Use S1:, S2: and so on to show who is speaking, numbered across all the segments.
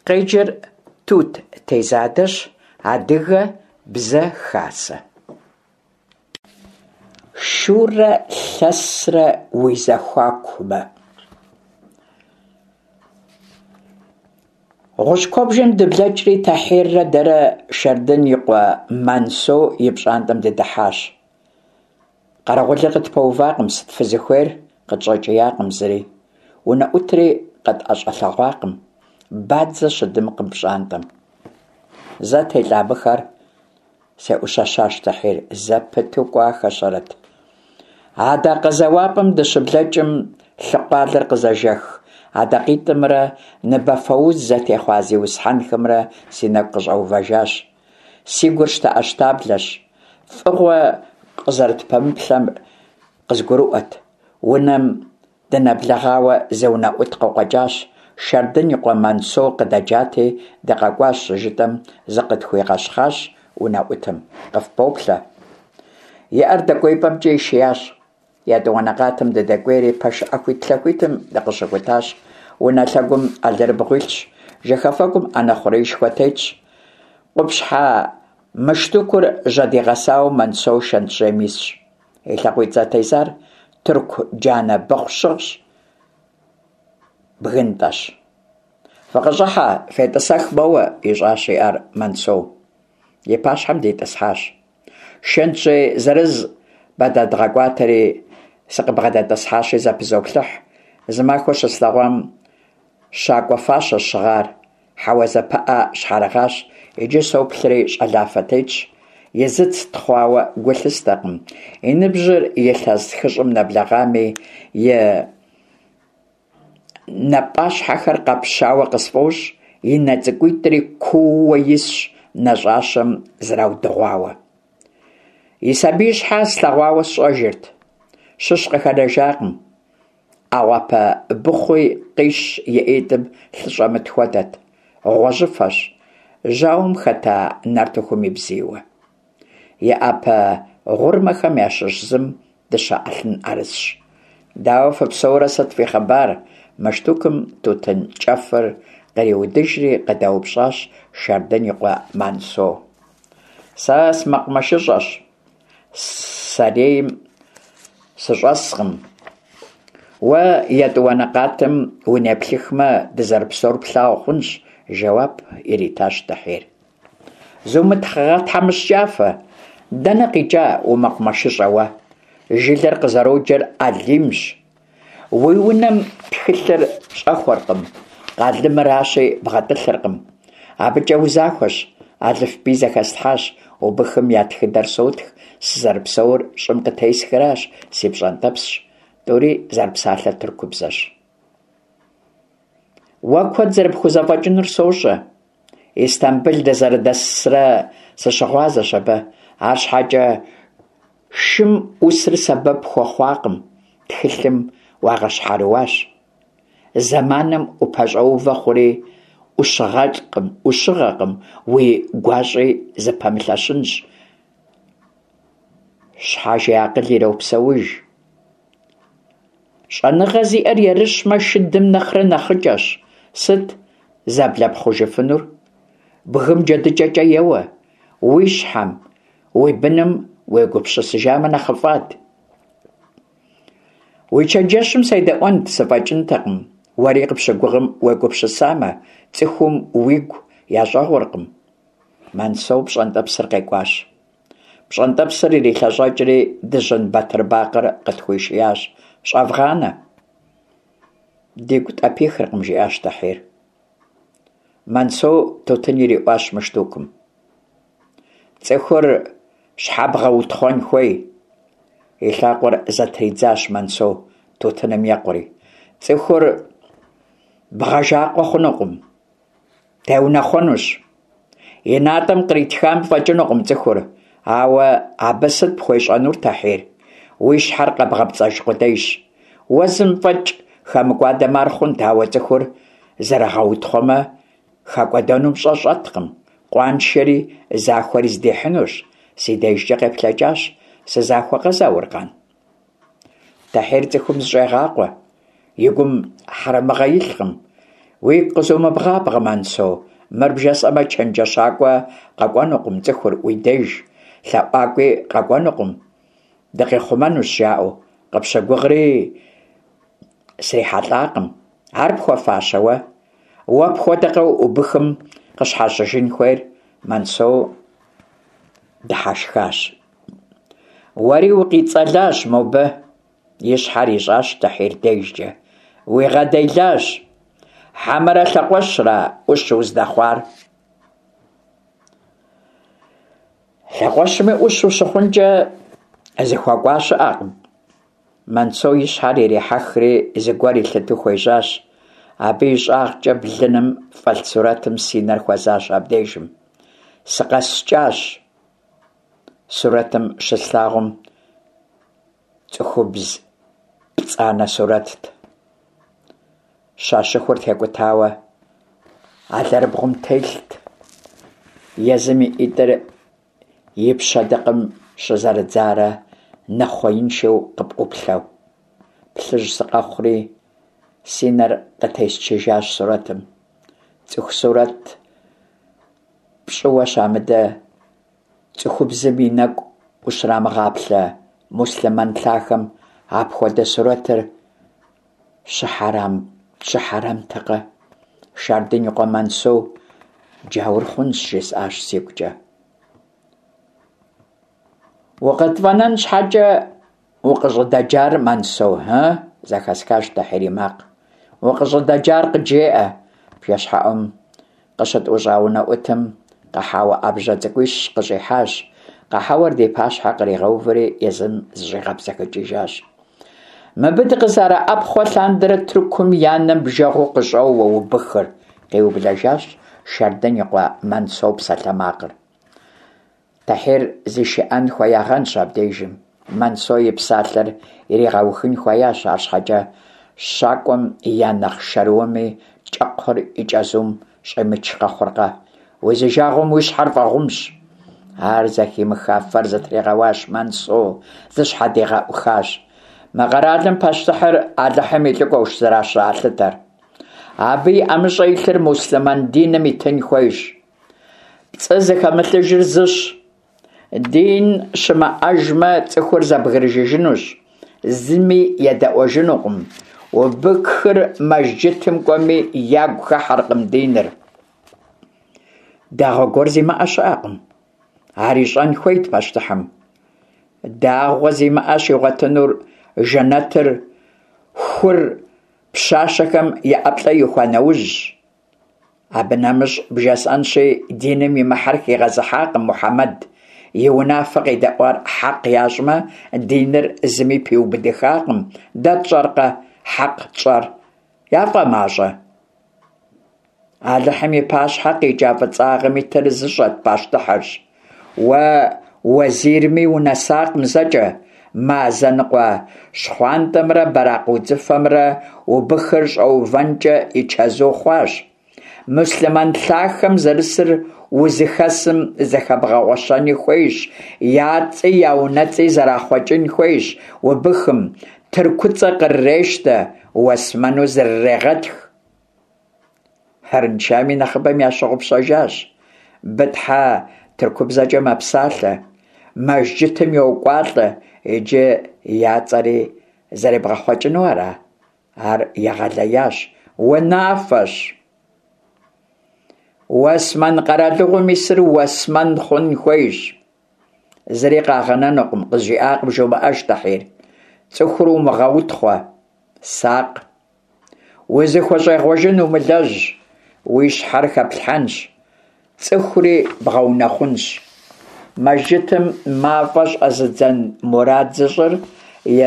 S1: Къеджэр Тут Тезадэщ, Адыгэ бзэ хасэ. Шурэ лъэсрэ уи зэхуакумэ. Гъущӏ куэбжэм дыблэкӏри, Тэхьиррэ дэрэ Шэрдын и къуэ Мансо и пщӏантӏэм дыдыхьащ. Къэрэгъулыр къытпэувакъым, сыт фызыхуейр? Къытщӏэкӏиякъым зыри. Унэӏутри къытӏэщӏэлъэгъуакъым. Бадзэ щыдымкъым пщӏантӏэм. Зэ телӏа мыхэр, сеӏущэщащ Тэхьир, зэпыту кӏуахэщэрэт. Адакъэ зэуапӏэм дыщыблэкӏым, лъыкъуалэр къызэжэх адакъитӏымрэ ныбэфэуз зэтехъуа зиусхьэнхэмрэ си нэгу къыщӏэувэжащ. Си гур щтэӏэщтаблэщ. Фӏыгъуэ къызэрытпэмыплъэр къызгурыӏуэт. Унэм дынэблэгъауэ зы унэӏут къыкъуэкӏащ. Шэрдын и къуэ Мансо къыдэджати, дыкъэкӏуащ щыжытӏэм, зыкъытхуигъэщхъащ унэӏутым. Къыфпоплъэ. И ӏэр дэкӏуеипӏэмкӏэ ишиящ. Етӏуанэ къатым дыдэкӏуейри, пэш ӏэхуитлъэхуитым дыкъыщыхутащ. Унэ лъэгум алэрыбгъу илъщ, жэхэфэгум ӏэнэ хъуреишхуэ тетщ. Къупщхьэ мыштукур жьэдигъэсауэ Мансо шэнтжьейм исщ. И лъакъуитӏ зэтезар тырку джанэ быхъу щыгъщ, бгынтӏэщ. Фыкъыщӏыхьэ, фетӏысэх моуэ, ищӏащ и ӏэр Мансо. И пащхьэм дитӏысхьащ. Шэнтжьей зырыз бгъэдэдгъэкӏуатэри, сыкъыбгъэдэтӏысхьащи зэпызоплъыхь. Зымахуэ щыслъэгъуам щакӏуэ фащэщ щыгъар, хьэуазэ пыӏэ щхьэрыгъащ, иджы соплъри щӏалафэ тетщ. И зыц тхъуауэ гу лъыстэкъым. И ныбжьыр илъэс хыщӏым нэблэгъами, и Напӏащхьэхэр къэпщауэ къысфӏощӏ, и нэ цӏыкӏуитӏри куууэ исщ, нэщӏащэм зраудыгъуауэ. И сабиищхьэ слъэгъуауэ сщӏэжырт, щыщ къыхэнэжакъым. ӏэгъуапэ быхъуи къищ и ӏитӏым лъы щӏэмыт хуэдэт, гъуэжьыфэщ, жьауэм хэта нартыхум и бзийуэ. И ӏэпэ гъурмэхэм ящыщ зым дыщэ ӏэлъын ӏэрысщ. Дауэ фыпсэурэ, сыт фи хъыбар? Мыштукым тутын кӏэфыр къриудыжри къыдэупщӏащ Шэрдын и къуэ Мансо. Сэ сымэкъумэшыщӏэщ, сэрейм сыщӏэскъым. Уэ етӏуанэ къатым унеплъыхмэ, дызэрыпсэур плъагъу хъунщ, жэуап иритащ Тэхьир. Зумыгъэтхьэмыщкӏафэ, дэнэ къикӏа умэкъумэшыщӏэ уэ? Жылэр къызэроджэр Алимщ. Уи унэм тхылъыр щӏэхуэркъым, къалэмыращи бгъэтӏылъыркъым. Абыкӏэ узахуэщ, алыфбий зэхэслъхьащ, убыхым я тхыдэр сотх, сызэрыпсэур щӏым къытесхыращ, си пщӏэнтӏэпсщ. Тӏури зэрыпсалъэр тыркубзэщ. Уэ куэд зэрыпхузэфӏэкӏынур сощӏэ. Истамбыл дызэрыдэсрэ сыщыгъуазэщ абы, арщхьэкӏэ шым ӏусыр сэбэп хуэхъуакъым, тхылъым уагъэщхьэрыуащ. Зэманым упэщӏэувэ хъури ӏущыгъэкъым, уи гуащӏи зыпэмылъэщынщ. Щхьэж и акъыл иропсэуж. Щӏэныгъэ зиӏэр ерыщмэ, шыдым нэхърэ нэхъыкӏэщ. Сыт зэблэпхъужыфынур? Бгым джэдыкӏэкӏэ еуэ. Уи щхьэм, уи быным уегупсысыжамэ нэхъыфӏат. Уи чэнджэщым седэӏуэнт, сыфӏэкӏынтэкъым. Уэри къыпщыгугъым уегупсысамэ, цӏыхум уигу ящӏэгъуркъым. Мансоу пщӏэнтӏэпсыр къекӏуащ. Пщӏэнтӏэпсыр ирилъэщӏэкӏри, дыжьын бэтырбакъыр къытхуишиящ. Щӏэвгъанэ. Дигу тӏэпихыркъым, жиӏащ Тэхьир. Мансоу тутын ириӏуащ мыштукым. Цӏыхур щхьэ бгъэутхъуэн хуей? И лъакъуэр зэтридзащ Мансоу, тутыным екъури. Цӏыхур бгъэжакъуэ хъунукъым. Теунэхъуэнущ. И натӏэм къритхам фӏэкӏынукъым цӏыхур, ауэ абы сыт пхуещӏэнур, Тэхьир? Уи щхьэр къэбгъэпцӏэж къудейщ. Уэ зым фӏэкӏ хэмыкӏуадэмэ ар хъунт, ауэ цӏыхур зэрыгъэутхъуэмэ, хэкӏуэдэнум пщӏэ щӏэткъым, къуаншэри захуэри здихьынущ. Си дежкӏэ къеплъэкӏащ. Сызахуэкъэ, Зауркъан? Тэхьир цӏыхум зыщӏегъакъуэ, и гум хьэрэмыгъэ илъкъым. Уигу къызумыбгъабгъэ, Мансо, мыр бжесӏэмэ, чэнджэщакӏуэ къэкӏуэнукъым цӏыхур уи деж, лъэӏуакӏуи къэкӏуэнукъым, дыкъихъумэнущ, жаӏэу. Къыпщыгугъри срихьэлӏакъым. Ар пхуэфащэ уэ? Уэ пхуэдэкъэ убыхым къыщхьэщыжын хуейр? Мансо дыхьэшхащ. Уэри укъицӏэлащ мобы, и щхьэр ищӏащ Тэхьир дежкӏэ. Уигъэделащ. Хьэмэрэ лъэкъуэщра ӏущ уздэхъуар? Лъэкъуэщми ӏущ ущыхъункӏэ зыхуэкӏуа щыӏэкъым. Мансо и щхьэр ирихьэхри зыгуэр илъыту хуежьащ. Абы и щӏагъкӏэ блыным фӏэлъ сурэтым си нэр хуэзащ абдежым. Сыкъэскӏащ. Сурэтым щыслъагъум цӏыхубз пцӏанэ сурэтт. Щащыхур текӏутауэ алэрыбгъум телът. Езым и ӏитӏыр и пщэдыкъым щызэрыдзарэ нэхъуеиншэу къыпӏуплъэу. Плъыжь сыкъэхъури, си нэр къытесчыжащ сурэтым. Цӏыху сурэт пщӏыуэ щамыдэ цӏыхубзым и нэкӏу ущрамыгъаплъэ муслъымэн лъахэм апхуэдэ сурэтыр щыхьэрэмтэкъэ? Шардын и къуэ Мансо джаур хъунщ, жысӏащ сигукӏэ. Укъытфӏэнэн щхьэкӏэ укъыщӏыдэджар, Мансо, ы? зэхэсхащ Тэхьир и макъ. Укъыщӏыдэджар къыджеӏэ, бжэщхьэӏум къыщытӏущӏа унэӏутым къэхьэуэ ӏэбжьэ цӏыкӏуищ къыщӏихьащ. Къэхьэуэр ди пащхьэ къригъэувэри, езым зыщӏигъэбзэхыкӏыжащ. Мыбы дыкъызэрыӏэпхъуэ лъандэрэ Тыркум я нэм бжэгъуу къыщӏоуэ убыхыр, къиублэжащ Шардын и къуэ Мансо псалъэмакъыр. Тэхьир зишыӏэн хуеягъэнщ абдежым. Мансо и псалъэр иригъэухын хуеящ, арщхьэкӏэ щакӏуэм я нэхъ шэрыуэми кӏэкхъур и чэзум щӏимыч къэхъуркъэ? Узижагъуэм уи щхьэр фӏэгъумщ. Ар зэхимыха фэр зытригъэуащ Мансо, зыщхьэдигъэӏухащ. Мы къэралым пащтыхьыр Алыхьым и лӏыкӏуэущ зэращалъытэр. Абы и ӏэмыщӏэ илъыр муслъымэн диным итын хуейщ. Пцӏы зыхэмылъыжыр зыщ. Дин щымыӏэжмэ, цӏыхур зэбгрыжыжынущ, зыми едэӏуэжынукъым. Убыхыр мэжджытым кӏуэми, ягу хыхьэркъым диныр. Дагъуэ гуэр зимыӏэ щыӏэкъым. Ар ищӏэн хуейт пащтыхьым. Дагъуэ зимыӏэ щигъуэтынур жэнэтыр хур пщащэхэм я ӏэплӏэ ихуа нэужьщ. Абы нэмыщӏ бжесӏэнщи, диным имыхьэр хигъэзыхьакъым Мухьэмэд. И унафэ къедэӏуар хьэкъ ящӏмэ, диныр зыми пиубыдыхакъым. Дэ тщӏэркъэ хьэкъ тщӏэр? Яфӏэмащӏэ? Алыхьым и пащхьэ къикӏа фӏыцӏагъэм итыр зыщӏэр пащтыхьырщ. Уэ уэзирми унэсакъым зэкӏэ. Мазэ ныкъуэ щхъуантӏэмрэ бэракъ удзыфэмрэ убыхыр щӏэувэнкӏэ и чэзу хъуащ. Муслъымэн лъахэм зэрысыр узыхэсым зэхэбгъэгъуэщэни хуейщ, я цӏи я унэцӏи зэрахъуэкӏын хуейщ убыхым, тыркуцӏэ кърырещтэ, уэсмэну зрырегъэтх. Арыншами нэхъыбэм ящыгъупщэжащ. Бытхьэ тыркубзэкӏэ мэпсалъэ, мэжджытым йокӏуалӏэ, иджы я цӏэри зэребгъэхъуэкӏыну ара? Ар егъэлеящ, унафэщ. Уэсмэн къэралыгъуэм исыр уэсмэн хъун хуейщ. Зыри къагъэнэнукъым, къызжиӏакъым жумыӏэж, Тӏэхьир. Цӏыхур умыгъэутхъуэ. Сакъ. Узыхущӏегъуэжын умылэжь, уи щхьэр хэплъхьэнщ, цӏыхури бгъэунэхъунщ. Мэжджытым мафӏэ щӏэзыдзэн мурад зыщӏыр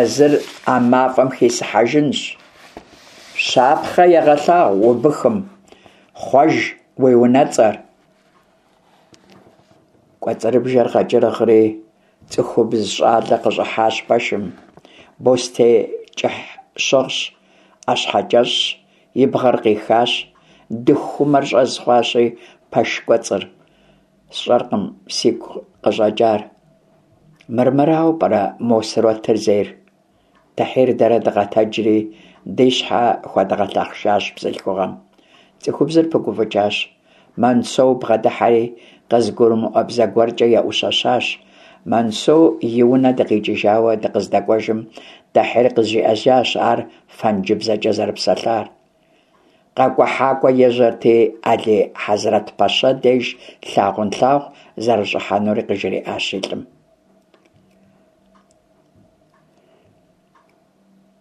S1: езыр а мафӏэм хисыхьэжынщ. Щапхъэ егъэлъагъу убыхым, хъуэж уи унэцӏэр. Кӏуэцӏрыбжэр къэкӏыргъри, цӏыхубз щӏалэ къыщӏыхьащ пэшым. Бостей кӏыхь щыгъщ, ӏэщхьэкӏэщӏщ, и бгъэр къихащ, дыхумэр щӏэз хъуащи пэш кӏуэцӏыр. Сщӏэркъым сигу къыщӏэкӏар. Мырмырауэ пӏэрэ мо сурэтыр зейр? Тэхьир дэрэ дыкъэтэджри, ди щхьэ хуэдгъэлъэхъшащ бзылъхугъэм. Цӏыхубзыр пыгуфӏыкӏащ. Мансоу бгъэдыхьэри, къызгурымыӏуэ бзэ гуэркӏэ еӏущэщащ. Мансоу и унэ дыкъикӏыжауэ дыкъыздэкӏуэжым, Тӏэхьир къызжиӏэжащ ар фэнджыбзэкӏэ зэрыпсэлъар. Къэкӏухьакӏуэ ежьэрти, Али-Хьэзрэт-пэщэ деж лъагъунлъагъу зэрыщӏыхьэнури къыжриӏащ и лӏым.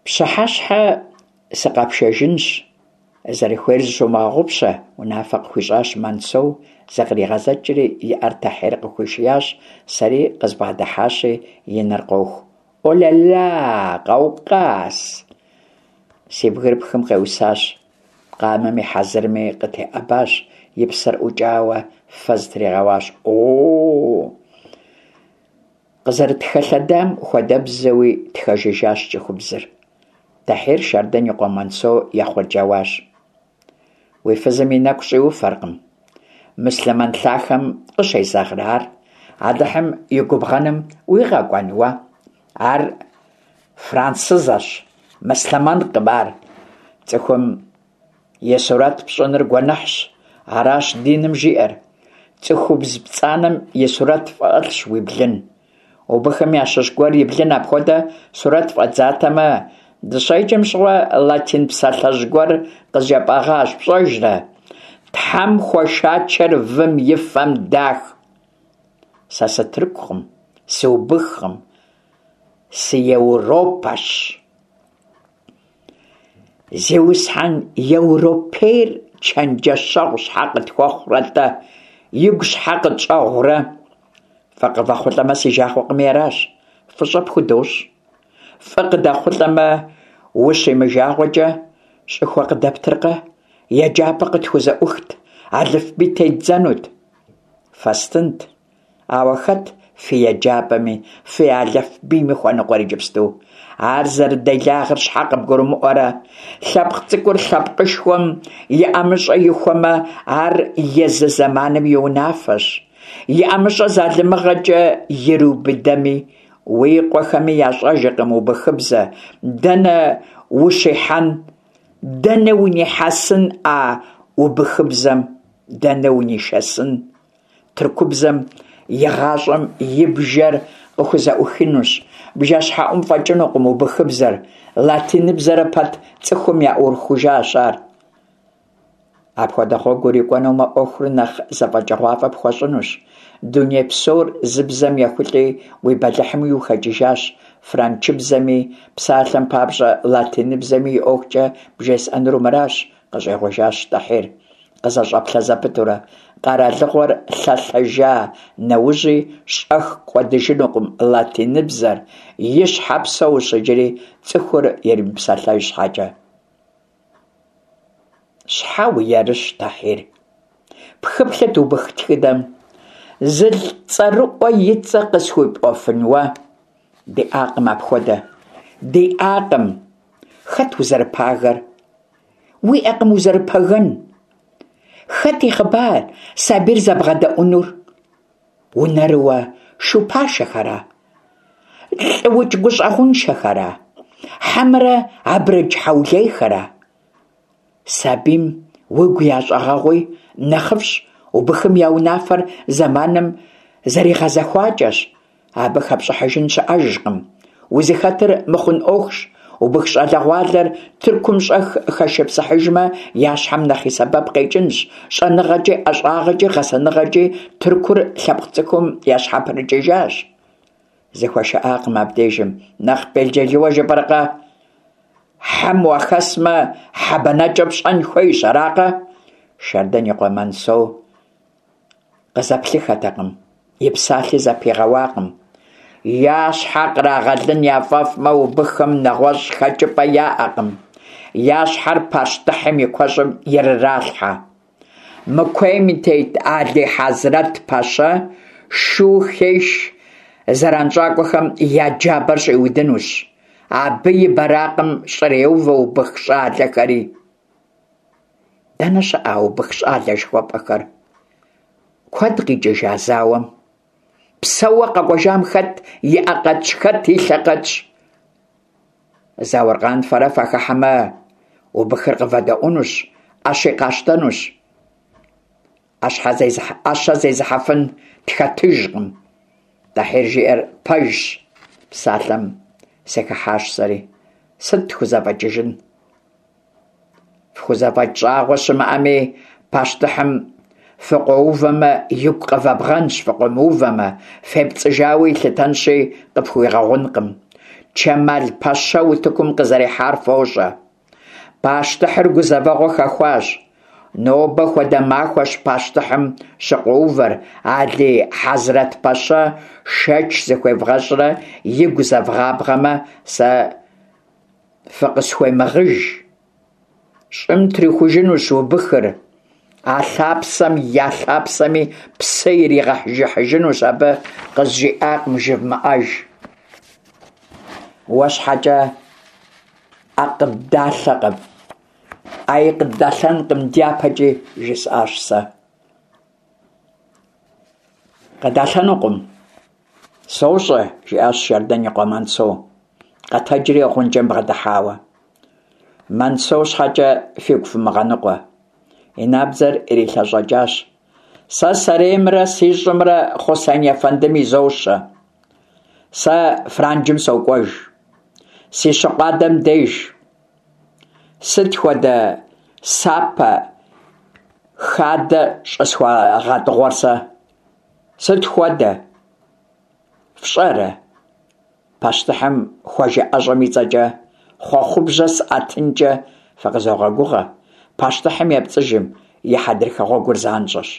S1: Пщыхьэщхьэ сыкъэпшэжынщ, зэрыхуейр зыщумыгъэгъупщэ, унафэ къыхуищӏащ Мансоу, зыкъригъэзэкӏри и ӏэр Тэхьир къыхуишиящ, сэри къызбгъэдыхьащи, и нэр къоху. О-ля-ля, Къаукъаз! Си бгырыпхым къеӏусащ, къамэми хьэзырми къытеӏэбащ, и псэр ӏукӏауэ фэ зытригъэуащ. О-о-о! Къызэрытхэлъэдам хуэдэбзэуи тхэжыжащ цӏыхубзыр. Тэхьир Шардэн и къуэ Мансо ехъурджэуащ. Уи фызым и нэкӏу щӏиуфэркъым. Муслъымэн лъахэм къыщезэгърэ ар? Алыхьым и губгъэным уигъэкӏуэн уэ? Ар франсызэщ, муслъымэнкъым ар. Цӏыхум и сурэт пщӏыныр гуэныхьщ, аращ диным жиӏэр. Цӏыхубз пцӏанэм и сурэт фӏэлъщ уи блын. Убыхым ящыщ гуэр и блын апхуэдэ сурэт фӏэдзатэмэ, дыщеджэм щыгъуэ латин псалъэжь гуэр къызжепӏэгъащ, пщӏэжрэ? Тхьэм хуэшачэр вым и фэм дах. Сэ сытыркукъым, сыубыхкъым, сыеуропэщ. Зиусхьэн еуропейр чэнджэщэгъу щхьэ къытхуэхъурэ-тӏэ, игу щхьэ къытщӏэгъурэ? Фӏы къывэхъулӏэмэ, си жагъуэкъыми аращ, фӏыщӏэ пхудощӏ. Фӏы къыдэхъулӏэмэ, ущимыжагъуэкӏэ, щӏыхуэ къыдэптыркъэ? Еджапӏэ къытхузэӏухт, алыфбий теддзэнут. Фэстынт. Ауэ хэт фи еджапӏэми, фи алыфбийми хуэныкъуэр иджыпсту? Ар зэрыделагъыр щхьэ къыбгурымыӏуэрэ? Лъэпкъ цӏыкӏур лъэпкъышхуэм и ӏэмыщӏэ ихуэмэ, ар езы зэманым и унафэщ. И ӏэмыщӏэ залымыгъэкӏэ ириубыдэми, уи къуэхэми ящӏэжыркъым убыхыбзэ, дэнэ ущихьэн, дэнэ унихьэсын а убыхыбзэм, дэнэ унишэсын? Тыркубзэм и гъащӏэм и бжэр къыхузэӏухынущ. Бжэщхьэӏум фӏэкӏынукъым убыхыбзэр, латиныбзэрэ пэт цӏыхум яӏурыхужащ ар. Апхуэдэ гъуэгу урикӏуэнумэ, ӏуэхур нэхъ зэфӏэкӏыгъуафӏэ пхуэщӏынущ. Дуней псор зы бзэм ехулӏи, уи бэлыхьми ухэкӏыжащ. Франчыбзэми, псалъэм папщӏэ, латиныбзэми и ӏуэхукӏэ бжесӏэнур мыращ, къыщӏигъужащ Тӏэхьир. Къызэщӏэплъэ зэпытурэ, къэралыгъуэр лъэлъэжа нэужьи щӏэх кӏуэдыжынукъым латиныбзэр, и щхьэ псэущ иджыри цӏыхур иримыпсэлъэж щхьэкӏэ. Щхьэ уерыщ, Тӏэхьир? Пхыплъыт убых тхыдэм. Зылӏ цӏэрыӏуэ и цӏэ къысхуипӏуэфын уэ? Диӏакъым апхуэдэ. Диӏакъым. Хэт узэрыпагэр? Уиӏэкъым узэрыпэгэн. Хэт и хъыбар сабийр зэбгъэдэӏунур? Унэрыуэ шу пашэхэра? Лӏыукӏ гущӏэгъуншэхэра? Хьэмэрэ абрэдж хьэулейхэра? Сабийм уигу ящӏэгъэгъуи, нэхъыфӏщ, убыхым я унафэр зэманым зэригъэзэхуакӏэщ. Абы хэпщӏыхьыжын щыӏэжкъым. Узыхэтыр мыхъун ӏуэхущ. Убых щӏалэгъуалэр Тыркум щӏэх хэшыпсыхьыжмэ, я щхьэм нэхъ и сэбэп къекӏынщ. Щӏэныгъэкӏи, ӏэщӏагъэкӏи, гъэсэныгъэкӏи Тыркур лъэпкъ цӏыкӏум ящхьэпрыкӏыжащ. Зыхуэшыӏакъым абдежым. Нэхъ белджылыуэ жыпӏэркъэ? Хьэм уахэсмэ, хьэ бэнэкӏэ пщӏэн хуейщ, аракъэ? Шардэн и къуэ Мансоу къызэплъыххэтэкъым, и псалъи зэпигъэуакъым. Я щхьэ кърагъэлын яфӏэфӏмэ, убыхым нэгъуэщӏ хэкӏыпӏэ яӏэкъым. Я щхьэр пащтыхьым и куэщӏым ирыралъхьэ. Мы куейм и тет Али-Хьэзрэт пэщэ шу хеш зэранщӏакӏуэхэм я джабэр щӏиудынущ. Абы и бэракъым щӏреувэ убых щӏалэхэри. Дэнэ щыӏэ а убых щӏалэ жыхуэпӏэхэр? Куэд къикӏыжа зауэм? Псэууэ къэкӏуэжам хэт и ӏэ къэтщ, хэт и лъэ къэтщ? Зауркъан фэрэ фахыхьэмэ, убыхыр къывэдэӏунущ. ӏэщи къащтэнущ. ӏэщэ зезыхьэфын тхэтыжкъым. Тӏэхьир жиӏэр пэжщ, псалъэм сыхыхьащ сэри. Сыт тхузэфӏэкӏыжын? Фхузэфӏэкӏ щӏагъуэ щымыӏэми, пащтыхьым фыкъуэувэмэ, игу къывэбгъэнщ, фыкъуэмыувэмэ, фепцӏыжауэ илъытэнщи, къыфхуигъэгъункъым. Чэмал-пэщэ утыкум къызэрихьар фощӏэ. Пащтыхьыр гузэвэгъуэ хэхуащ. Нобэ хуэдэ махуэщ пащтыхьым щыкъуэувэр, Алий Хьэзрэт-пэщэ шэч зыхуевгъэщӏрэ игу зэвгъабгъэмэ, сэ фыкъысхуемыгъыж. Щӏым трихужынущ убыхыр, а лъапсэм я лъапсэми псы иригъэжыхьыжынущ, абы къызжиӏакъым жывмыӏэж. Уэ щхьэкӏэ ӏэ къыддалъэкъым, ӏэи къыддалъэнкъым дяпэкӏи, жысӏащ сэ. Къыдалъэнукъым. Сощӏэ, жиӏащ Шардэн и къуэ Мансо, къэтэджри гъунджэм бгъэдыхьауэ. Мансо щхьэкӏэ фигу фымыгъэныкъуэ. И набдзэр ирилъэщӏэкӏащ. Сэ сэреймрэ си щӏымрэ Хъусен ефэндым изощэ. Сэ Франджым сокӏуэж. Си щыкъу адэм деж. Сыт хуэдэ сапэ хадэ щӏысхуагъэтӏыгъуэр сэ? Сыт хуэдэ? Фщӏэрэ? Пащтыхьым хуэжыӏэщӏэм и цӏэкӏэ хъуэхъубжьэ сӏэтынкӏэ фыкъызогъэгугъэ. Пащтыхьым епцӏыжым и хьэдрыхэ гъуэгур занщӏэщ.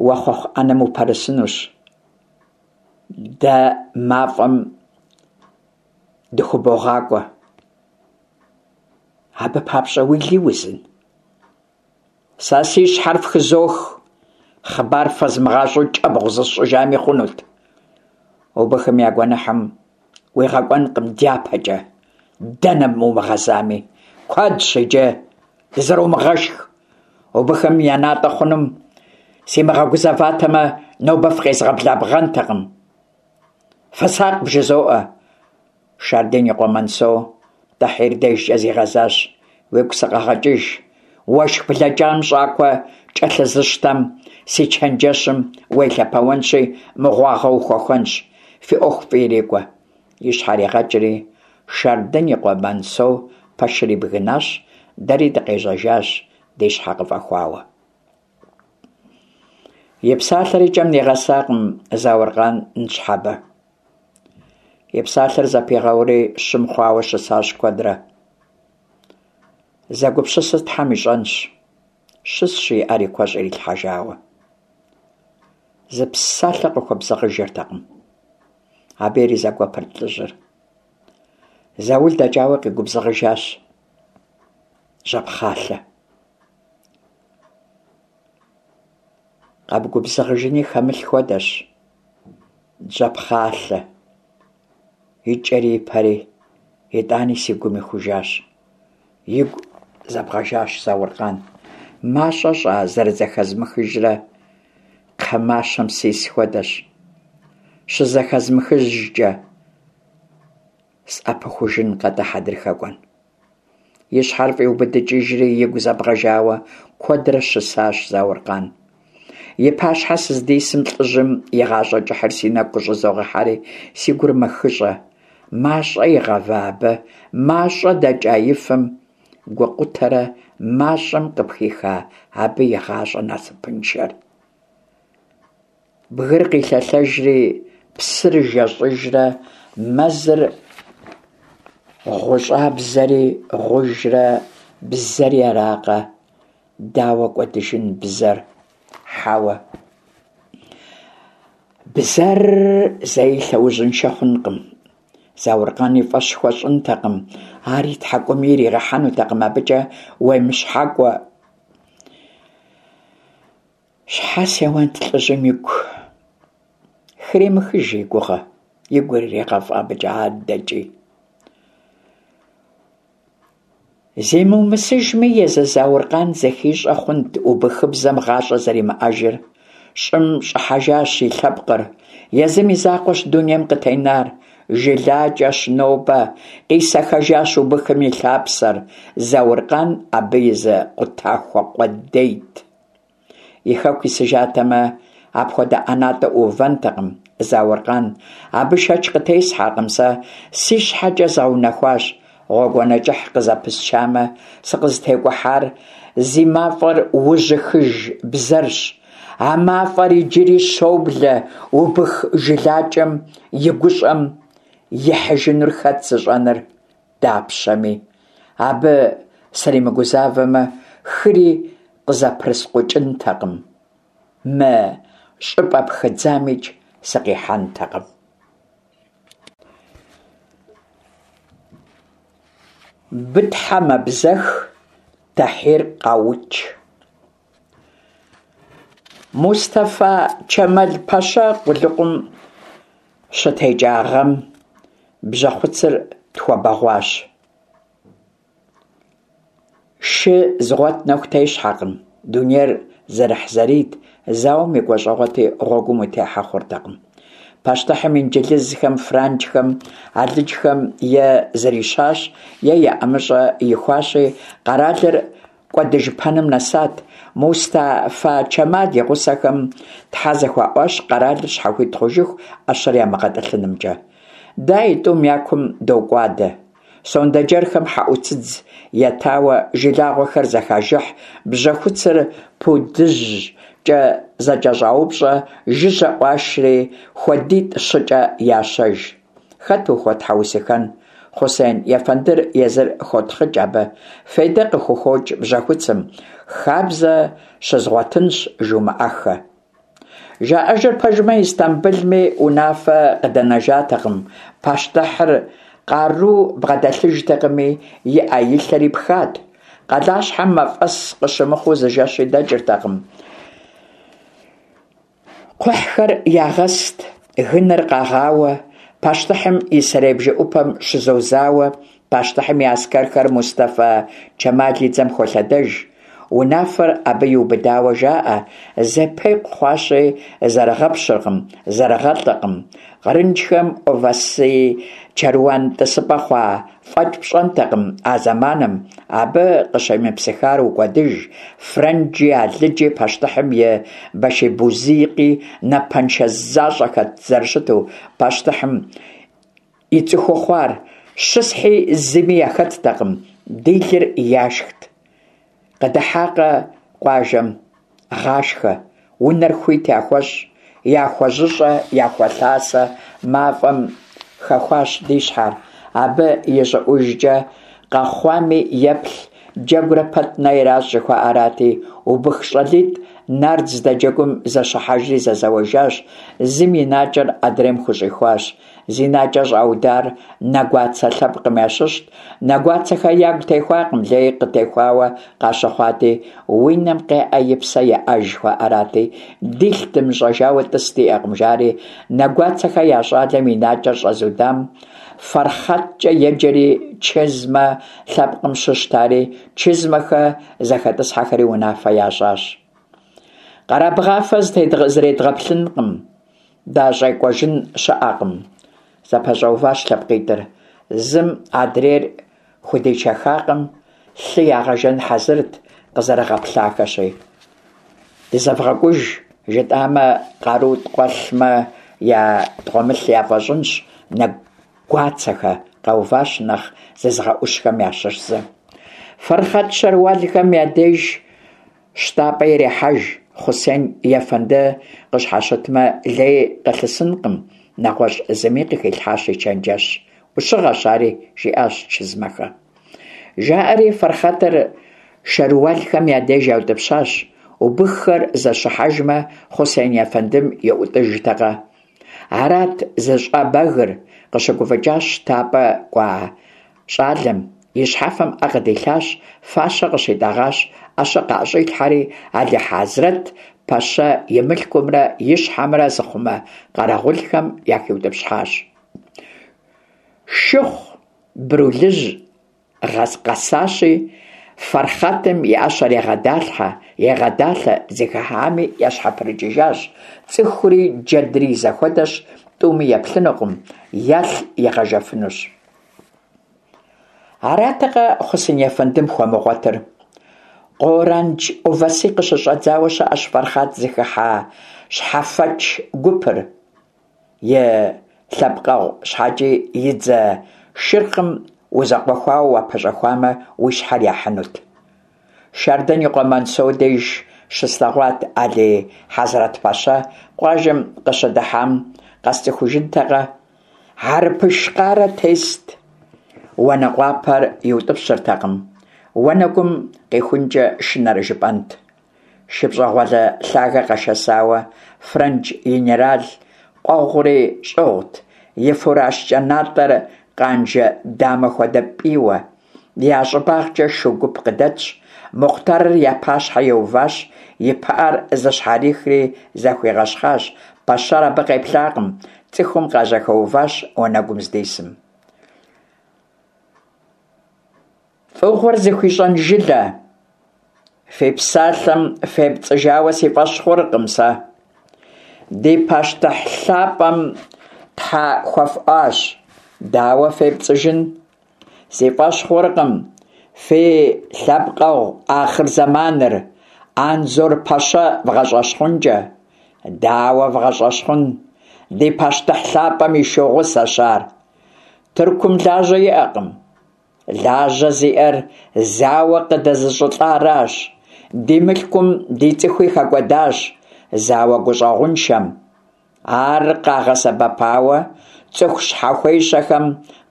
S1: Уэ хъуэхъу ӏэнэм упэрысынущ. Дэ мафӏэм дыхубогъакӏуэ. Абы папщӏэ уили узын? Сэ си щхьэр фхызох, хъыбар фэзмыгъащӏэу кӏэбгъу зысщӏыжами хъунут. Убыхым я гуэныхьым уигъэкӏуэнкъым дяпэкӏэ, дэнэ умыгъэзами. Куэдщ иджы дызэрумыгъэшх. Убыхым я натӏэ хъунум симыгъэгузэватэмэ, нобэ фыкъезгъэблабгъэнтэкъым. Фысакъ бжызоӏэ. Шарден и къуэ Мансо Тӏэхьир дежкӏэ зигъэзащ. Уигу сыкъэгъэкӏыж. Уэшх блэкӏам щӏакхъуэ кӏэлъызыщтэм си чэнджэщым уелъэпэуэнщи, мыгъуагъэ ухуэхуэнщ. Фи ӏуэху фӏы ирикӏуэ. И щхьэр игъэкӏри, Шардын и къуэ Мансо пэшыр ибгынащ, дэри дыкъежьэжащ, ди щхьэ къыфӏэхуауэ. И псалъэр и кӏэм нигъэсакъым Зауркъан ныщхьэбэ. И псалъэр зэпигъэури щым хъуауэ щысащ куэдрэ. Зэгупсысыр Тхьэм ищӏэнщ, щысщ и ӏэр и куэщӏ ирилъхьэжауэ. Зы псалъэ къыхуэбзэгъыжыртэкъым. Абы иризэгуэпырт лӏыжьыр. Заул дэкӏауэ къигубзыгъыжащ жьэпхъалъэ. Къэбгубзыгъыжыни хэмылъ хуэдэщ жьэпхъалъэ, и кӏэри и пэри, итӏани си гум ихужащ. Игу зэбгъэжащ Зауркъан. Мащӏэ щӏа зэрызэхэзмыхыжрэ, кхъэ мащэм сис хуэдэщ. Щызэхэзмыхыжкӏэ, сӏэпыхужынкъэ-тӏэ хьэдрыхэ кӏуэн? И щхьэр фӏиубыдыкӏыжри, игу зэбгъэжауэ куэдрэ щысащ Зауркъан. И пащхьэ сыздисым лӏыжьым и гъащӏэ кӏыхьыр си нэгу къыщӏызогъэхьэри, си гур мэхыщӏэ. Мащӏэ игъэва абы, мащӏэ дэкӏа и фэм гукъутэрэ мащӏэм къыпхиха абы и гъащӏэ насыпыншэр. Бгыр къилъэлъэжри, псыр жэщӏыжрэ мэзыр гъущӏабзэри гъужрэ бзэри аракъэ? Дауэ кӏуэдыжын бзэр? Хьэуэ. Бзэр зэи лъэужьыншэ хъункъым. Зауркъан и фӏэщ хуэщӏынтэкъым, ар и тхьэкӏуми иригъэхьэнутэкъым абыкӏэ уемыщхьэкӏуэ. Щхьэ сеуэнт лӏыжьым игу? Хремыхыж и гугъэ, и гур ирегъэфӏ абыкӏэ адэкӏи. Зимыумысыжми, езы Зауркъан зэхищӏэ хъунт убыхыбзэм гъащӏэ зэримыӏэжыр. Щӏым щӏыхьэжащ и лъэпкъыр, езым и закъуэщ дунейм къытенар. Жылакӏэщ нобэ, къисэхэжащ убыхым и лъапсэр, Зауркъан абы и зы къутахуэ къудейт. И хэку исыжатэмэ, апхуэдэ ӏэнатӏэ ӏуувэнтэкъым Зауркъан. Абы шэч къытесхьэркъым сэ, си щхьэкӏэ згъэунэхуащ. Гъуэгуанэ кӏыхь къызэпысчамэ, сыкъызытекӏухьар зи мафӏэр ужьыхыж бзэрщ. А мафӏэр иджыри щоблэ убых жылакӏэм и гущӏэм, ихьыжынур хэт зыщӏэныр дапщэми. Абы сримыгузавэмэ, хыри къызэпрыскъукӏынтэкъым, мы щӏыпӏэ пхыдзамикӏ сыкъихьэнтэкъым. Бытхьэ мэбзэх, Тэхьир къаукӏ. Мустэфа Чэмал-пэщэ къулыкъум щытекӏа гъэм бжьэхуцыр тхуэбэгъуащ. Шы зыгъуэт нэху тещхьэкъым, дунейр зэрыхьзэрийт, зауэм и гуащӏэгъуэти, гъуэгум утехьэ хъуртэкъым. Пащтыхьым инджылызхэм, франджхэм, алыджхэм е зрищащ, е я ӏэмыщӏэ ихуащи, къэралыр кӏуэдыжыпэным нэсат. Мустэфа Чэмал и гъусэхэм тхьэ зэхуаӏуащ къэралыр щхьэхуит хъужыху ӏэщэр ямыгъэтӏылъынымкӏэ. Дэ а тӏум я кум докӏуадэ. Сондэджэрхэм хьэӏуцыдз етауэ жылагъуэхэр зэхажыхь, бжьэхуцыр пудыжькӏэ зэкӏэщӏаупщӏэ, жыжьэ ӏуашри, хуэдитӏ-щыкӏэ ящэж. Хэт ухуэтхьэусыхэн? Хъусен ефэндыр езыр хотхъыкӏ абы. Фейдэ къыхухокӏ бжьэхуцым, хабзэ щызгъуэтынщ жумыӏэххэ. Жаӏэжыр пэжмэ, Истамбылми унафэ къыдэнэжатэкъым, пащтыхьыр къару бгъэдэлъыжтэкъыми, и ӏэ-и лъэри пхат. Къалащхьэм мафӏэс къыщымыхъуу зы жэщи дэкӏыртэкъым. Кхъухьхэр ягъэст, гыныр къагъауэ, пащтыхьым и сэрей бжэӏупэм щызозауэ, пащтыхьым и аскэрхэр Мустэфа Чэмал и дзэм холъэдэж. Унафэр абы иубыдауэ жаӏэ, зэпекъу хъуащи, зэрыгъэпщыркъым, зэрыгъэлӏэкъым. Кърынджхэм Овасы чэруан тӏысыпӏэ хъуа фӏэкӏ пщӏэнтэкъым а зэманым, абы къыщемыпсыхар укӏуэдыж, фрэнджи, алыджи, пащтыхьым и башибузыкъи напэншэ защӏэхэт зэрыщыту, пащтыхьым и цӏыхуу хъуар, щысхьи зыми яхэттэкъым, ди лыр яшхт. Къыдыхьакъэ къуажэм, гъашхэ, унэр хуит яхуэщӏ, яхуэжьыщӏэ, яхуэлъасэ, мафӏэм хэхуащ ди щхьэр. Абы ищӏыӏужкӏэ къэхъуами еплъ, джэгурэ пэт нэ иращӏ жыхуаӏэрати, убых щӏалитӏ нард здэджэгум зэщыхьэжри зэзэуэжащ, зым и накӏэр адрейм хущӏихуащ. Зи накӏэ щӏаудар Нэгуацэ лъэпкъым ящыщт. Нэгуацэхэ ягу техуакъым, лей къытехуауэ къащыхъуати, уи нэм къеӏэ и псэ еӏэж жыхуаӏэрати, дилъ дымыщӏэжауэ тӏыс диӏэкъым, жари, Нэгуацэхэ я щӏалэм и накӏэр щӏэзудам Фэрхъэткӏэ еджэри, Чызмэ лъэпкъым щыщт ари, Чызмэхэ зэхэтӏысхьэхэри унафэ ящӏащ. Къэрабгъафэ зредгъэплъынкъым. Дащӏекӏуэжын щыӏэкъым, зэпэщӏэуващ лъэпкъитӏыр. Зым адрейр худичэхакъым, лъы ягъэжэн хьэзырт, къызэрыгъэплъахэщи. Дызэвгъэкӏуж, жытӏамэ, къару ткъуэлъмэ, ятӏгъуэмылъ яфӏэщӏынщ, Нэгуацэхэ, къэуващ нэхъ зызыгъэӏущхэм ящыщ зы. Фэрхъэт Щэруалхэм я деж Щтапӏэ ирехьэж, Хъусен ефэнды къыщхьэщытмэ, лей къылъысынкъым, нэгъуэщӏ зыми къыхилъхьащ и чэнджэщ. Ӏущыгъэщ ари, жиӏащ Чызмэхэ. Жаӏэри Фэрхъэтыр Шэруалхэм я деж яутӏыпщащ. Убыххэр зэщыхьэжмэ, Хъусен ефэндым и ӏутӏыжтэкъэ? Арат зыщӏэбэгыр, къыщыгуфӏыкӏащ щтапӏэ кӏуа щӏалэм, и щхьэфэм ӏэ къыдилъащ, фащэ къыщитӏэгъащ, ӏэщэ къаӏэщӏилъхьэри, Али-Хьэзрэт пэщэ и мылъкумрэ и щхьэмрэ зыхъумэ къэрэгъулхэм яхиутӏыпщхьащ. Шыхъу Брулыжь къэсащи, Фэрхъэтым и ӏэщэр егъэдалъхьэ, егъэдалъэ, зыхыхьами ящхьэпрыкӏыжащ. Цӏыхури джэдри и зэхуэдэщ. тӏуми еплъынукъым, ялъ игъэжэфынущ. Аратэкъэ Хъусен ефэндым хуэмыгъуэтыр? Къорандж Оваси къыщыщӏэдзауэ щыӏэщ Фэрхъат зыхыхьа щхьэфэч гупыр. И лъэпкъэгъу щхьэкӏи и дзэ шырхъым узэкъуэхуауэ уапэщӏэхуамэ, уи щхьэр яхьынут. Шардэн и къуэ Мансо деж щыслъэгъуат Алий Хьэзрэт-пэщэ къуажэм къыщыдыхьам къэсцӏыхужынтэкъэ? Хьэрыпыш къарэ тест, уанэкъуапэр иутӏыпщыртэкъым, уанэгум къихункӏэ шынэрэ жыпӏэнт. Шы пщӏэгъуалэ лъагэ къэшэсауэ, фрэндж генерал къуэгъури щӏыгъут, и фурашкӏэ натӏэр къанжэ дамэ хуэдэ пӏийуэ. Я щӏыбагъкӏэ шу гуп къыдэтщ, Мухътарыр я пащхьэ иуващ, и пыӏэр зыщхьэрихри захуигъэщхъащ, пэщэр абы къеплъакъым, цӏыхум къажьэхэуващ уанэгум здисым. Фӏыгъуэр зыхуищӏэн жылэ! Фи псалъэм фепцӏыжауэ си фӏэщ хъуркъым сэ. Ди пащтыхь лъапӏэм тхьэ хуэфӏуащ, дауэ фепцӏыжын? Си фӏэщ хъуркъым фи лъэпкъэгъу ахъырзэманыр Анзор пэщэ вгъэщӏэщхъункӏэ. Дауэ вгъэщӏэщхъун? Ди пащтыхь лъапӏэм и шу гъусэщ ар. Тыркум лажьэ иӏэкъым. Лажьэ зиӏэр зауэ къыдэзыщӏылӏаращ. Ди мылъкум ди цӏыхуи хэкӏуэдащ зауэ гущӏэгъуншэм. Ар къагъэсэбэпауэ цӏыху щхьэхуещэхэм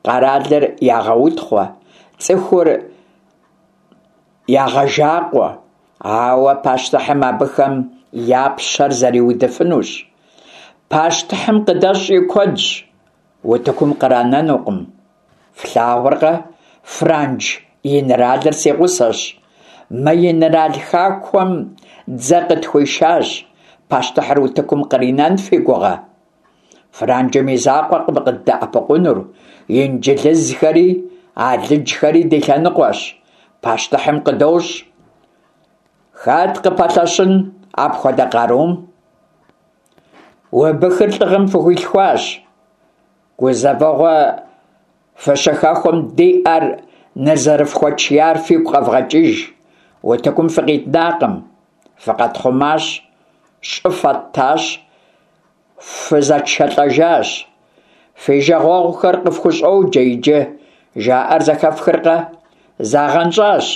S1: къэралыр ягъэутхъуэ, цӏыхур ягъэжакъуэ, ауэ пащтыхьым абыхэм я пщэр зэриудыфынущ. Пащтыхьым къыдэщӏ и куэдщ, утыкум къранэнукъым. Флъагъуркъэ, франдж инэралыр си гъусэщ. Мы инэрал хахуэм дзэ къытхуишащ, пащтыхьыр утыкум къринэн фи гугъэ? Франджым и закъуэкъым къыддэӏэпыкъунур, инджылызхэри, алыджхэри ди лъэныкъуэщ, пащтыхьым къыдощӏ. Хэт къыпэлъэщын апхуэдэ къарум? Убыхыр лӏыгъэм фыхуилъхуащ. Гузэвэгъуэ фыщыхэхуэм ди ӏэр нызэрыфхуэтшияр фигу къэвгъэкӏыж. Утыкум фыкъиднакъым, фыкъэтхъумащ, щӏы фэттащ, фызэтшэлӏэжащ. Фи жагъуэгъухэр къыфхущӏоджэ иджы, жаӏэр зэхэфхыркъэ? Загъэнщӏащ.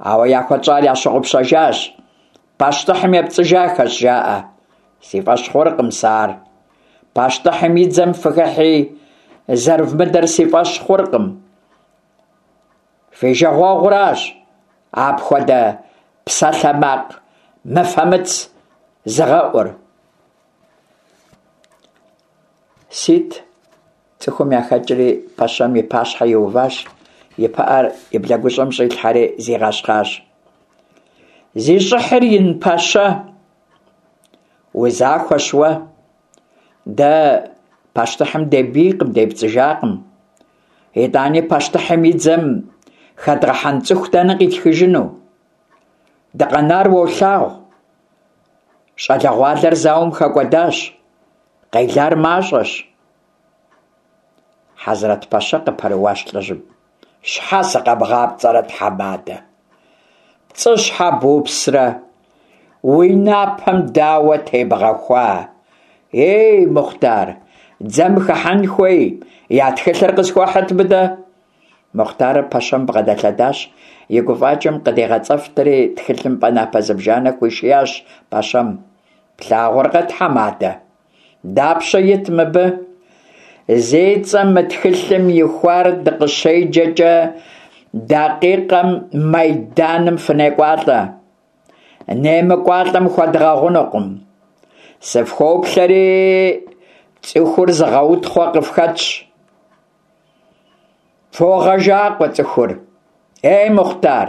S1: Ауэ яхуэтщӏар ящыгъупщэжащ. Пащтыхьым епцӏыжахэщ, жаӏэ. Си фӏэщ хъуркъым сэ ар. Пащтыхьым и дзэм фыхыхьи, зэрывмыдэр си фӏэщ хъуркъым. Фи жагъуэгъуращ апхуэдэ псалъэмакъ мыфэмыц зыгъэӏур. Сит цӏыхум яхэкӏри, пэщэм и пащхьэ иуващ, и пыӏэр и блэгущӏэм щӏилъхьэри зигъэщхъащ. Зи щӏыхьыр ин пэщэ! Узахуэщ уэ. Дэ пащтыхьым дебийкъым, депцӏыжакъым. Итӏани пащтыхьым и дзэм хэдгъэхьэн цӏыху дэнэ къитхыжыну? Дыкъэнар уолъагъу. Щӏалэгъуалэр зауэм хэкӏуэдащ, къелар мащӏэщ. Хьэзрэт пэщэ къыпэрыуащ лӏыжьым. Щхьэ сыкъэбгъапцӏэрэ, тхьэмадэ? Пцӏы щхьэ бупсрэ? Уи напэм дауэ тебгъэхуа? Ей, Мухътар, дзэм хыхьэн хуей, я тхылъыр къысхуэхьыт мыдэ. Мухътарыр пэщэм бгъэдэлъэдащ, и гуфӏакӏэм къыдигъэцӏэфтри, тхылъымпӏэ напэ зыбжанэ хуишиящ пэщэм. Плъагъуркъэ, тхьэмадэ? Дапщэ ит мыбы? Зи цӏэ мы тхылъым ихуар дыкъыщеджэкӏэ дакъикъэм майданым фынекӏуалӏэ. Немыкӏуалӏэм хуэдгъэгъунукъым. Сыфхоплъэри, цӏыхур зыгъэутхъуэ къыфхэтщ. Фогъэжакъуэ цӏыхур. Ей, Мухътар,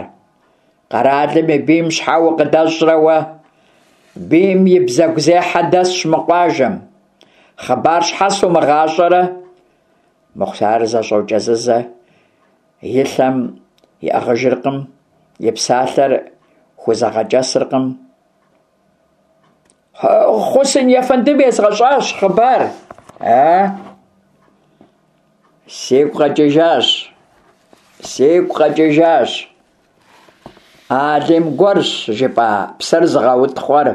S1: къэралым и бийм щхьэ укъыдэщӏрэ уэ? Бийм и бзэгузехьэ дэсщ мы къуажэм. Хъыбар щхьэ сумыгъащӏэрэ? Мухътар зэщӏокӏэзызэ, и лъэм иӏыгъыжыркъым, и псалъэр хузэгъэкӏэсыркъым. Хъусен ефэндым езгъэщӏащ хъыбар. Э? Сигу къэкӏыжащ. Сигу къэкӏыжащ. Алим гуэрщ жыпӏа псыр зыгъэутхъуэр.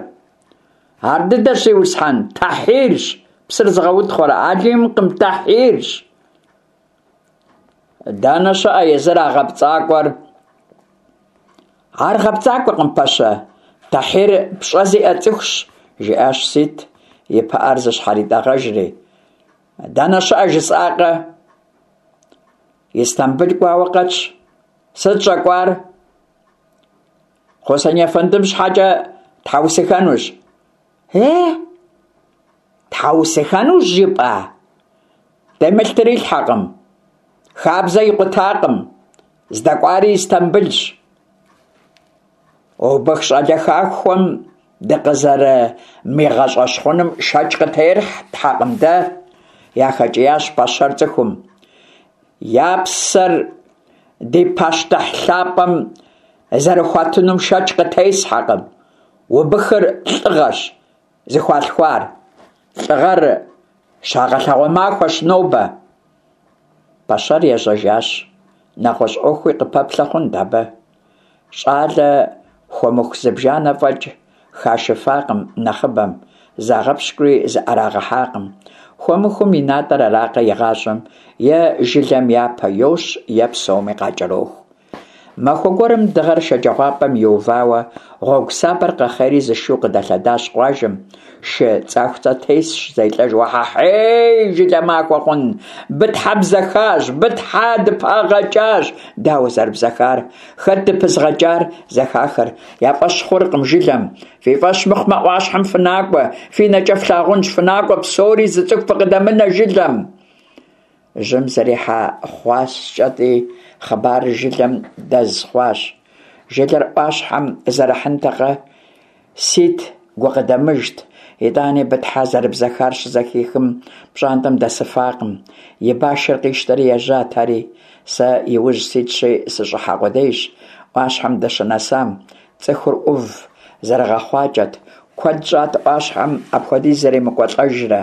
S1: Ар дыдэщ, зиусхьэн, Тахьирщ псыр зыгъэутхъуэр, Алимкъым, Тахьирщ. Дэнэ щыӏэ езыр а гъэпцӏакӏуэр? Ар гъэпцӏакӏуэкъым, пэщэ. Тахьир пщӏэ зиӏэ цӏыхущ, жиӏащ Сит, и пыӏэр зыщхьэритӏэгъэжри. Дэнэ щыӏэ жысӏакъэ? Истамбыл кӏуауэ къэтщ. Сыт щӏэкӏуар? Хъусен ефэндым щхьэкӏэ тхьэусыхэнущ. Э? Тхьэусыхэнущ жыпӏа? Къемыл трилъхьэкъым. Хабзэ икъутакъым. Здэкӏуари Истамбылщ. Убых щӏалэ хахуэм дыкъызэрымигъэщӏэщхъуным шэч къытетхьэкъым дэ, яхэкӏиящ пэщэр цӏыхум. Я псэр ди пащтыхь лъапӏэм зэрыхуатынум шэч къытесхьэкъым. Убыхыр лӏыгъэщ зыхуалъхуар. Лӏыгъэр щагъэлъэгъуэ махуэщ нобэ. Пэщэр ежьэжащ. Нэгъуэщӏ ӏуэхуи къыпэплъэ хъунт абы. Щӏалэ хуэмыху зыбжанэ фӏэкӏ хашыфакъым нэхъыбэм, загъэпщкӏури зыӏэрагъэхьакъым. Хуэмыхум и натӏэр аракъэ игъащӏэм, е жылэм япэ йощ, е псоми къакӏэроху. Махуэ гуэрым дыгъэр шэджагъуапӏэм иувауэ, гъуэгу сабэр къэхъейри зы шу къыдэлъэдащ къуажэм. Шы цӏахуцӏэ тесщ, зелӏэж, Уэхьэхьей, жылэ махуэ хъун! Бытхьэ бзэхащ, Бытхьэ дыпагъэкӏащ! Дауэ зэрыбзэхар? Хэт дыпызгъэкӏар? Зэхахыр я фӏэщ хъуркъым жылэм. Фи фӏэщ мыхъумэ, ӏуащхьэм фынакӏуэ, фи нэкӏэ флъагъунщ, фынакӏуэ псори, зы цӏыху фыкъыдэмынэ жылэм! Жьым зэрихьэ хъуаскӏэти, хъыбарыр жылэм дэз хъуащ. Жылэр ӏуащхьэм зэрыхьынтэкъэ? Сит гукъыдэмыжт, итӏани Бытхьэ зэрыбзэхар щызэхихым, пщӏантӏэм дэсыфакъым. И башыр къищтэри ежьат ари. Сэ и ужь ситщи, сыщӏыхьа къудейщ. ӏуащхьэм дыщынэсам, цӏыхур ӏув зэрыгъэхъуакӏэт. Куэд щӏат ӏуащхьэм апхуэдиз зэремыкӏуэлӏэжрэ.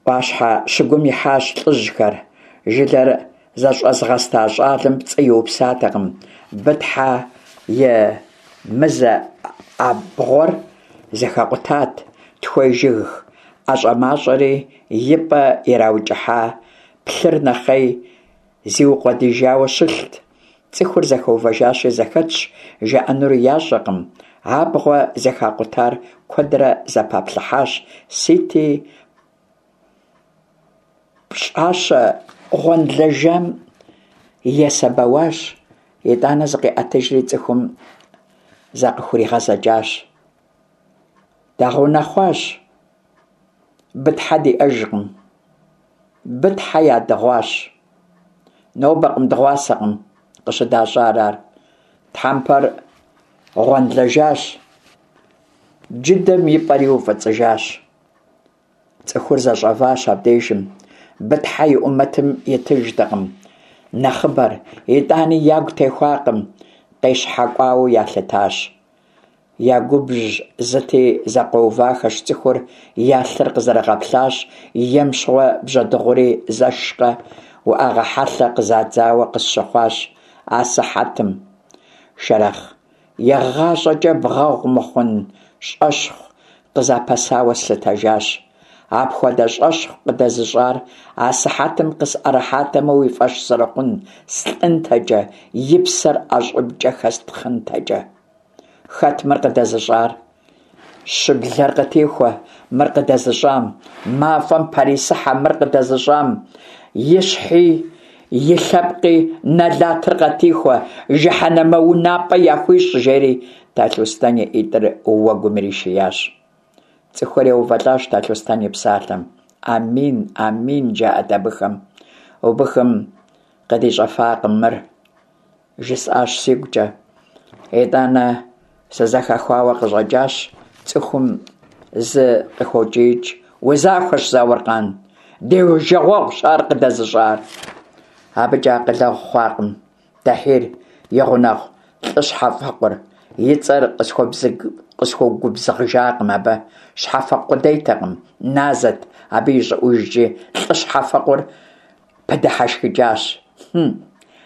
S1: Ӏуащхьэ щыгум ихьащ лӏыжьхэр. Жылэр зэщӏэзыгъэста щӏалэм пцӏы иупсатэкъым. Бытхьэ и мызэ абгъуэр зэхэкъутат, тхуей жыг ӏэщӏэмащӏэри и пӏэ ираукӏыхьа плъыр нэхъей зиукъуэдижауэ щылът. Цӏыхур зэхэувэжащи зэхэтщ, жаӏэнури ящӏэкъым. Абгъуэ зэхакъутар куэдрэ зэпаплъыхьащ, Сити пщӏащэ гъуэнлэжам есэбэуащ, итӏанэ зыкъиӏэтыжри цӏыхум закъыхуригъэзэкӏащ. Дагъэунэхъуащ, Бытхьэ диӏэжкъым. Бытхьэ ядыгъуащ. Нобэкъым, дыгъуасэкъым къыщыдащӏар ар. Тхьэмпэр гъуэнлэжащ, джыдэм и пӏэри уфӏыцӏыжащ. Цӏыхур зэщӏэващ абдежым. Бытхьэ и ӏумэтым итыжтэкъым нэхъыбэр, итӏани ягу техуакъым, къещхьэкӏуауэ ялъытащ. Я губжь зыти зэкъуэувахэщ цӏыхур, я лъыр къызэрыгъэплъащ, ем щыгъуэ бжьэдыгъури зэшкъэ, уӏэгъэ хьэлъэ къызадзауэ къысщыхъуащ асыхьэтым. Шэрэхъ, игъащӏэкӏэ бгъэгъу мыхъун щӏэщхъу къызапэсауэ слъытэжащ. Апхуэдэ щӏэщхъу къыдэзыщӏар асыхьэтым къысӏэрыхьатэмэ уи фӏэщ зэрыхъун слӏынтэкӏэ, и псэр ӏэщӏыбкӏэ хэстхъынтэкӏэ. Хэт мыр къыдэзыщӏар? Щыблэр къытехуэ мыр къыдэзыщӏам, мафӏэм пэрисыхьэ мыр къыдэзыщӏам, и щхьи, и лъэпкъи нэлатыр къатихуэ, жыхьэнэмэ унапӏэ яхуищӏ, жери Талъустэн и ӏитӏыр уэгум иришиящ. Цӏыхухэр еувэлӏащ Талъустэн и псалъэм. Амин, амин, жаӏэт абыхэм. Убыхым къыдищӏэфакъым мыр. Жысӏащ сигукӏэ. Итӏанэ сызэхахауэ къыщӏэкӏащ, цӏыхум зы къыхокӏиикӏ, Узахуэщ, Зауркъан, ди жагъуэгъущ ар къыдэзыщӏар. Абыкӏэ акъылэгъу хъуакъым Тэхьир и гъунэгъу лӏы щхьэфӏэкъур. И цӏэр къысхуэгубзыгъыжакъым абы. Щхьэфэкъу къудейтэкъым, назэт, абы ищӏыӏужкӏи лӏы щхьэфэкъур пыдыхьэшхыкӏащ. Хьм,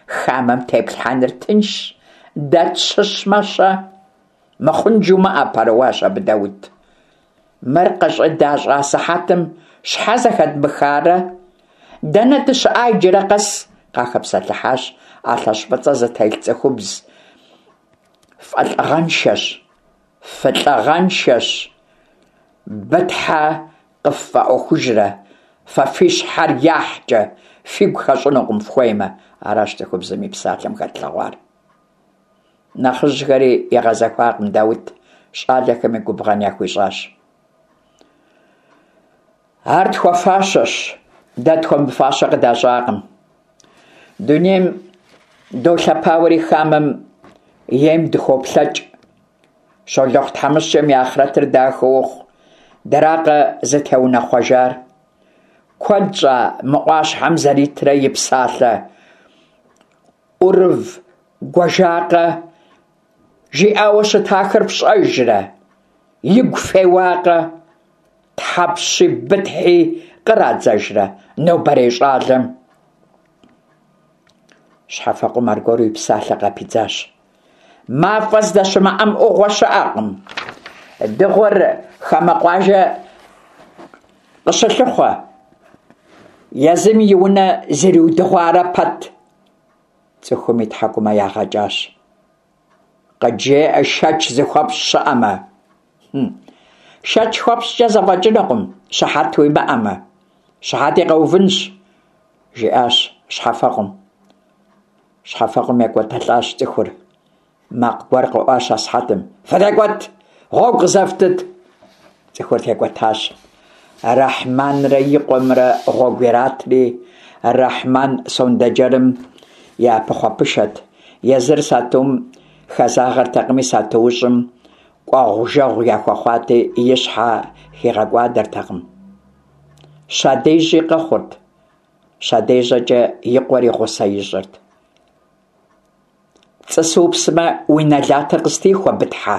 S1: хамэм теплъхьэныр тыншщ, дэ тщыщмэ-щэ? Мыхъун жумыӏэ, пэрыуащ абы Даут. Мыр къыщӏыдащӏа сыхьэтым щхьэ зэхэдмыхарэ? Дэнэ дыщыӏа иджырэ къэс? къахэпсэлъыхьащ ӏэлъэщӏ фӏыцӏэ зытелъ цӏыхубз. Фӏэлӏыгъэншэщ, фылӏыгъэншэщ, Бытхьэ къыффӏэӏуэхужрэ, фэ фи щхьэр яхькӏэ, фигу хэщӏынукъым фхуеймэ, аращ цӏыхубзым и псалъэм хэтлъэгъуар. Нэхъыжьхэри игъэзэхуакъым Даут, щӏалэхэми губгъэн яхуищӏащ. Ар тхуэфащэщ, дэ тхуэмыфащэ къыдащӏакъым. Дунейм долъэпауэри хамэм ейм дыхуоплъэкӏ. Щолэхъу тхьэмыщкӏэм и ахърэтыр дахэ ухъу, дэракъэ зытеунэхъуэжар? Куэд щӏа мы ӏуащхьэм зэритрэ и псалъэ ӏурывгуэжакъэ, жиӏауэ щытахэр фщӏэжрэ? Игу феуакъэ? Тхьэпщи Бытхьи кърадзэжрэ нобэрей щӏалэм? Щхьэфэкъум аргуэру и псалъэ къапидзащ. Мафӏэ здэщымыӏэм ӏугъуэ щыӏэкъым. Дыгъур хамэ къуажэ къыщылъыхъуэ. Езым и унэ зриудыгъуарэ пэт. Цӏыхум и тхьэкӏумэ ягъэкӏащ. Къыджеӏэ шэч зыхуэпщӏ щыӏэмэ. Хм. Шэч хуэпщӏкӏэ зэфӏэкӏынукъым, щыхьэт уимыӏэмэ. Щыхьэти къэувынщ, жиӏащ щхьэфэкъум. Щхьэфэкъум екӏуэтэлӏащ цӏыхур. Макъ гуэр къэӏуащ асыхьэтым. Фытекӏуэт! Гъуэгу къызэфтыт! Цӏыхур текӏуэтащ. Рэхьманрэ и къуэмрэ гъуэгу иратри, Рэхьман сондэджэрым и пыхъуэпышэт. Езыр сатум хэзагъэртэкъыми, сатуущӏым кӏуэгъу-жэгъу яхуэхъуати, и щхьэ хигъэкӏуадэртэкъым. Щадежьи къэхъурт. Щадежьэкӏэ и къуэри гъусэ ищӏырт. Пцӏы супсмэ, уи нэлатыр къыстихуэ, Бытхьэ!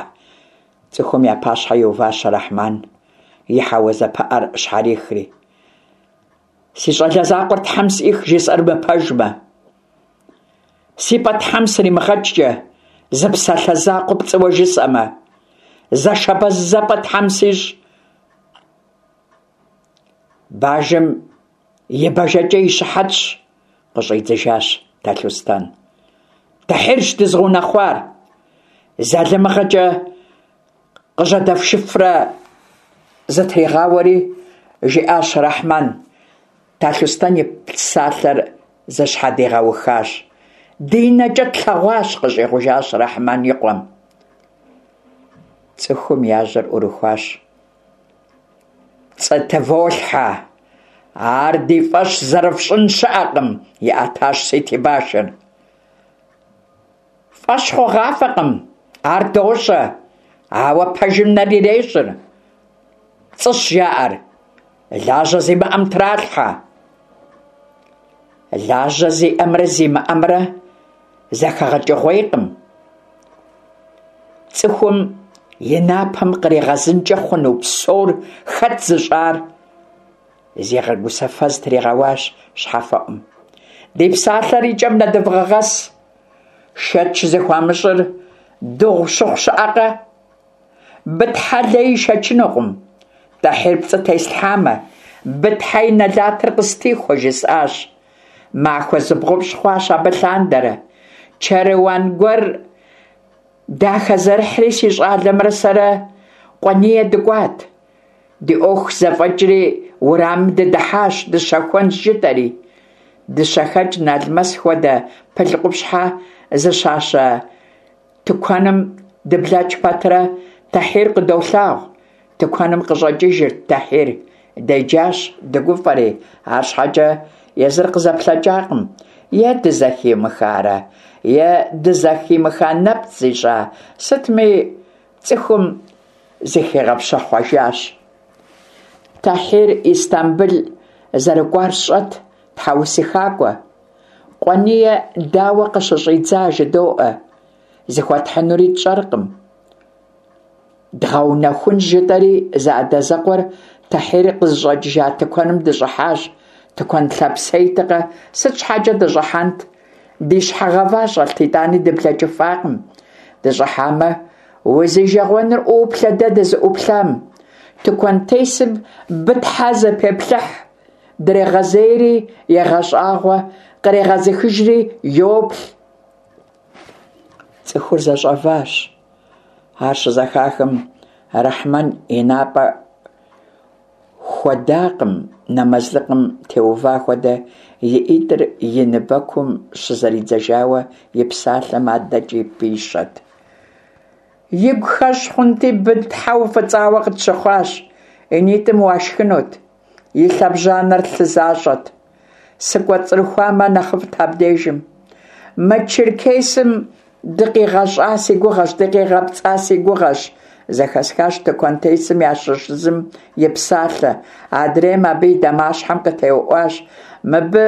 S1: Цӏыхум я пащхьэ иуващ Рэхьман, и хьэуазэ пыӏэр щхьэрихри. Си щӏалэ закъуэр Тхьэм сӏих, жысӏэр мыпэжмэ. Си пӏэ Тхьэм сримыгъэкӏкӏэ, зы псалъэ закъуэ пцӏыуэ жысӏэмэ. Зэшэбэзэпӏэ Тхьэм сищӏ. Бажэм и бэжэкӏэ и щыхьэтщ, къыщӏидзыжащ Талъустэн. Тэхьирщ дызыгъэунэхъуар. Залымыгъэкӏэ къыжьэдэфшыфрэ зытригъауэри, жиӏащ Рэхьман. Талъустэн и псалъэр зэщхьэдигъэухащ. Ди нэкӏэ тлъэгъуащ, къыщӏигъужащ Рэхьман и къуэм. Цӏыхум я жьэр ӏурыхуащ. Пцӏы тыволъхьэ! Ар ди фӏэщ зэрыфщӏын щыӏэкъым, иӏэтащ Сити башыр. Фӏэщ хъугъафӏэкъым, ар дощӏэ, ауэ пэжым нэр ирещӏыр. Пцӏыщ жаӏэр, лажьэ зимыӏэм тралъхьэ. Лажьэ зиӏэмрэ зимыӏэмрэ зэхэгъэкӏыгъуейкъым. Цӏыхум и напэм къригъэзынкӏэ хъуну псор хэт зыщӏар? Зигъэгусэфэ зытригъэуащ щхьэфэӏум. Ди псалъэр и кӏэм нэдывгъэгъэс. Шэч зыхуамыщӏыр дыгъу щыхъу щыӏэкъэ? Бытхьэ лей ишэчынукъым. Тӏэхьир пцӏы теслъхьамэ, Бытхьэ и нэлатыр къыстихуэ, жысӏащ. Махуэ зыбгъупщӏ хъуащ абы лъандэрэ. Чэруан гуэр дахэзэрыхьри си щӏалэмрэ сэрэ Къуэние дыкӏуат. Ди ӏуэху зэфӏэкӏри уэрамым дыдыхьащ, дыщэхуэнщ жытӏэри. Дыщэхэкӏ налмэс хуэдэ пыл къупщхьэ зыщащэ Тыкуэным дыблэкӏ пэтрэ, Тэхьир къыдолъагъу. Тыкуэным къыщӏэкӏыжырт Тэхьир. Деджащ, дыгуфӏэри, арщхьэкӏэ езыр къызэплъэкӏакъым. Е дызэхимыхарэ, е дызэхимыха нэпцӏ зищӏа, сытми цӏыхум зыхигъэпщэхъуэжащ. Тэхьир Истамбыл зэрыкӏуар сщӏэт, тхьэусыхакӏуэ. Къуэние дауэ къыщыщӏидза жыдоӏэ, зыхуэтхьынури тщӏэркъым. Дгъэунэхунщ жытӏэри, зэадэзэкъуэр Тэхьир къызыщӏэкӏыжа тыкуэным дыщӏыхьащ. Тыкуэн лъапсейтэкъэ, сыт щхьэкӏэ дыщӏыхьэнт? Ди щхьэ гъэва щӏэлът, итӏани дыблэкӏыфакъым. Дыщӏыхьамэ, узижэгъуэныр ӏуоплъэ дэ дызыӏуплъам. Тыкуэнтесым Бытхьэ зэпеплъыхь, дрегъэзейри егъэщӏагъуэ, кърегъэзыхыжри йоплъ. Цӏыхур зэщӏэващ. Ар щызэхахым, Рэхьмэн и напӏэ хуэдакъым, нэмэзлыкъым теува хуэдэ и ӏитӏыр и ныбэкум щызэридзэжауэ и псалъэм адэкӏи пищэт. Игу хэщӏ хъунти, Бытхьэ уфӏыцӏауэ къытщыхъуащ, и нитӏым уашхынут, и лъэбжьанэр лъы защӏэт. Сыкӏуэцӏрыхуамэ нэхъыфӏт абдежым. Мы черкесым дыкъигъэщӏа си гугъэщ, дыкъигъэпцӏа си гугъэщ, зэхэсхащ тыкуэнтесым ящыщ зым и псалъэ. Адрейм абы и дамащхьэм къытеуӏуащ. Мыбы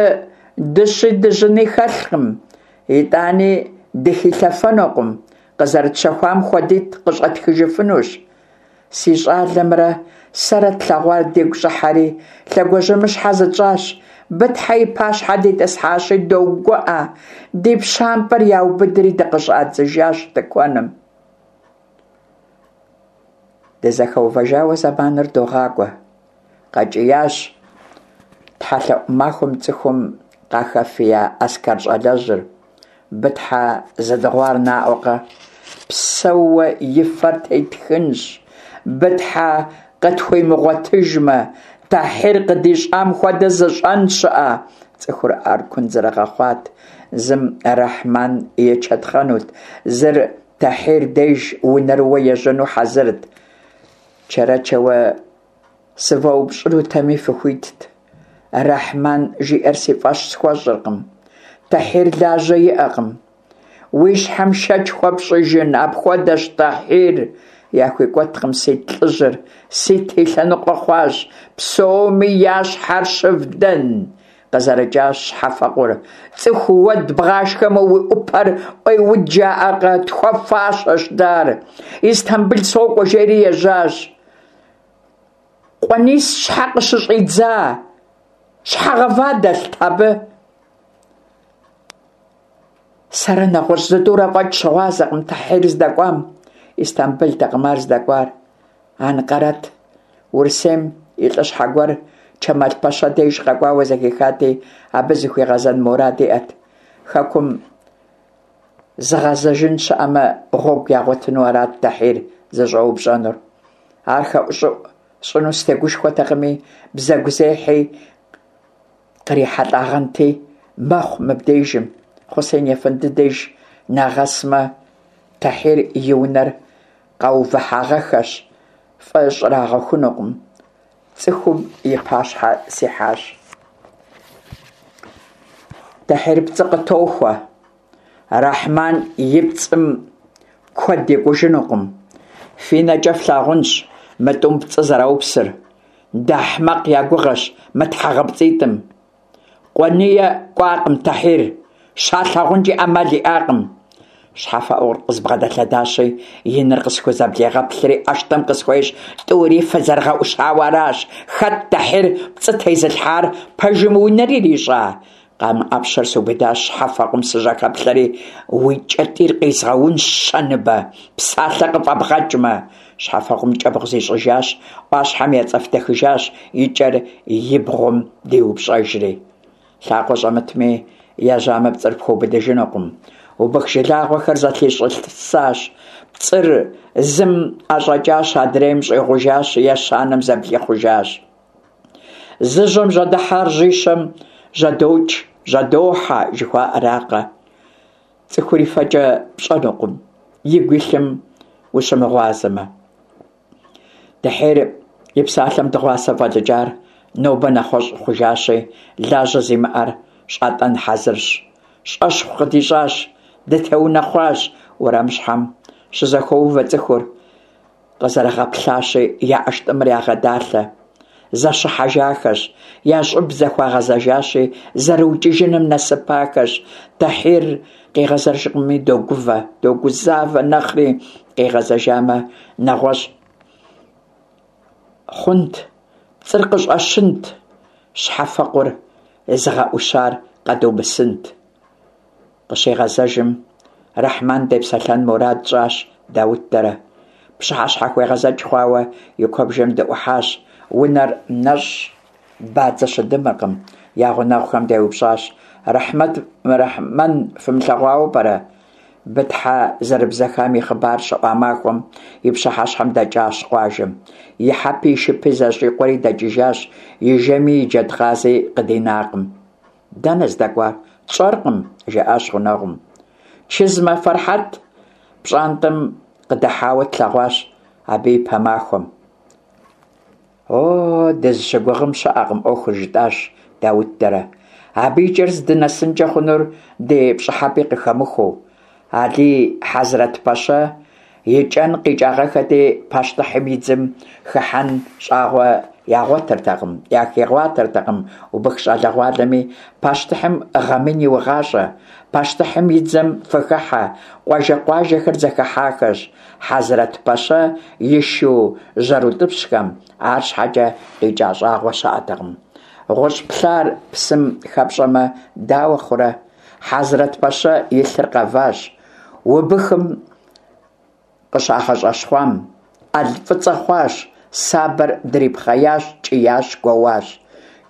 S1: дыщи дыжьыни хэлъкъым, итӏани дыхилъэфэнукъым, къызэрытщэхуам хуэдитӏ къыщӏэтхыжыфынущ. Си щӏалэмрэ сэрэ тлъэгъуар дигу щӏыхьэри, лъэгуажьэмыщхьэ зытщӏащ, Бытхьэ и пащхьэ дитӏысхьащи, догуӏэ, ди пщампӏэр яубыдри дыкъыщӏадзыжащ тыкуэным. Дызэхэувэжауэ зэманыр догъакӏуэ. Къэкӏиящ тхьэлъэӏу махуэм цӏыхум къахэфия Аскэр щӏалэжьыр. Бытхьэ зыдыгъуар наӏуэкъэ? Псэууэ и фэр тетхынщ. Бытхьэ къытхуимыгъуэтыжмэ, Тэхьир къыдищӏам хуэдэ зыщӏэн щыӏэ? Цӏыхур ӏэркун зэрыгъэхъуат. Зым Рэхьман ечэтхъэнут, зыр Тэхьир деж унэрыуэ ежьэну хьэзырт. Чэрэчэуэ сывэупщӏынутэми фыхуитт. Рэхьман жиӏэр си фӏэщ схуэщӏыркъым. Тэхьир лажьэ иӏэкъым. Уи щхьэм шэч хуэпщӏыжын, апхуэдэщ Тэхьир, яхуикӏуэткъым Сит лӏыжьыр, Сит и лъэныкъуэ хъуащ, псоми я щхьэр щывдэн, къызэрыкӏащ щхьэфэкъур. Цӏыху уэд бгъашхэмэ уи ӏупэр ӏуеуд жаӏэкъэ, тхуэфащэщ дэ ар. Истамбыл сокӏуэ жери ежьащ. Къуэнис щхьэ къыщыщӏидза? Щхьэ гъэва дэлът абы? Сэрэ нэгъуэщӏ зытӏурэ фӏэкӏ щыгъуазэкъым Тэхьир здэкӏуам. Истамбылтэкъым ар здэкӏуар. Анкъэрэт. Урысейм и лӏыщхьэ гуэр Чэмал-пэщэ деж къэкӏуауэ зэхихати, абы зыхуигъэзэн мурад иӏэт. Хэкум зыгъэзэжын щыӏэмэ, гъуэгу ягъуэтыну арат Тэхьир зыщӏэупщӏэнур. Ар хэӏущӏыӏу сщӏыну сытегушхуэтэкъыми, бзэгузехьи кърихьэлӏагъэнти, мэхъу мыбдежым. Хъусен ефэнды деж нагъэсмэ, Тэхьир и унэр къаувыхьагъэххэщ, фӏы щӏрагъэхунукъым. Цӏыхум и пащхьэ сихьащ. Тэхьир пцӏы къытохуэ. Рэхьман и пцӏым куэд екӏужынукъым. Фи нэкӏэ флъагъунщ мы тӏум пцӏы зэраупсыр. Дыахьмакъ я гугъэщ мы тхьэгъэпцӏитӏым. Къуэние кӏуакъым Тэхьир, щалъагъункӏи ӏэмал иӏакъым. Щхьэфэӏур къызбгъэдэлъэдащи, и нэр къысхузэблегъэплъри ӏэштӏым къысхуещӏ, тӏури фызэрыгъэӏущауэ аращ. Хэт Тэхьир пцӏы тезылъхьар, пэжым уи нэр ирищӏа? Къамэ ӏэпщэр субыдащ, щхьэфэкъум сыжьэхэплъэри, уи кӏэтӏийр къизгъэунщ, щэныбэ, псалъэ къыфӏэбгъэкӏмэ. Щхьэфэкъум кӏэбгъу зищӏыжащ, ӏуащхьэм ецӏэфтэхыжащ, и кӏэр и бгъум диупщӏэжри. Лъакъуэ щӏэмытми, ежьамэ пцӏыр пхуэубыдыжынукъым. Убых жылагъуэхэр зэлъищӏысащ. Пцӏыр зым ӏэщӏэкӏащ, адрейм щӏигъужащ, ещанэм зэблихъужащ. Зы жьэм жьэдыхьар жьищэм жьэдокӏ, жьэдохьэ жыхуаӏэракъэ. Цӏыхур и фэкӏэ пщӏэнукъым, игу илъым ущымыгъуазэмэ. Тэхьир и псалъэм дыгъуасэ фӏэлӏыкӏар нобэ нэгъуэщӏ хъужащи, лажьэ зимыӏэр щӏатӏэн хьэзырщ. Щӏэщхъу къыдищӏащ, дытеунэхъуащ уэрамыщхьэм щызэхоувэ цӏыхур. Къызэрыгъэплъащи, я ӏэштӏымыр ягъэдалъэ. Зэщыхьэжахэщ, я щӏыб зэхуагъэзэжащи, зэрыукӏыжыным нэсыпахэщ. Тэхьир къигъэзэжкъыми, догувэ, догузавэ нэхъри, къигъэзэжамэ, нэгъуэщӏ. хъунт, пцӏыр къыщӏэщынт, щхьэфэкъур зыгъэӏущар къэдумысынт. Къыщигъэзэжым, Рэхьмэн депсэлъэн мурад тщӏащ Даут дэрэ. Пщыхьэщхьэхуегъэзэкӏ хъуауэ и куэбжэм дыӏухьащ. Унэр нэщӏщ, бадзэ щыдымыркъым. Я гъунэгъухэм деупщӏащ, Рэхьмэт, Рэхьмэн фымылъэгъуауэ пӏэрэ? Бытхьэ зэрыбзэхам и хъыбар щыӏуа махуэм и пщыхьэщхьэм дэкӏащ къуажэм. И хьэпи и шыпи зэщӏикъуэри дэкӏыжащ, и жэми и джэдкъази къыдинакъым. Дэнэ здэкӏуар? Тщӏэркъым, жаӏащ гъунэгъум. Чызмэ Фэрхьэт пщӏантӏэм къыдыхьауэ тлъэгъуащ абы и пэ махуэм. О, дызыщыгугъым щыӏэкъым ӏуэхур, жытӏащ Даут дэрэ. Абы и кӏэр здынэсынкӏэ хъунур ди пщӏыхьэпӏи къыхэмыхуэу. Алий Хьэзрэт-пэщэ и кӏэн къикӏагъэххэти, пащтыхьым и дзэм хыхьэн щӏагъуэ ягъуэтыртэкъым, яхигъуатэртэкъым убых щӏалэгъуалэми, пащтыхьым гъэ мин иугъащӏэ, пащтыхьым и дзэм фыхыхьэ, къуажэ-къуажэхэр зэхыхьахэщ, Хьэзрэт-пэщэ и шу жьэрутӏыпщхэм, арщхьэкӏэ къикӏа щӏагъуэ щыӏэтэкъым. Гъущӏ плъар псым хэпщӏэмэ, дауэ хъурэ? Хьэзрэт-пэщэ и лъыр къэващ. Убыхым къыщагъэщӏэщхъуам, ӏэл фӏыцӏэ хъуащ, сабэр дрипхъеящ, кӏиящ, гуоуащ.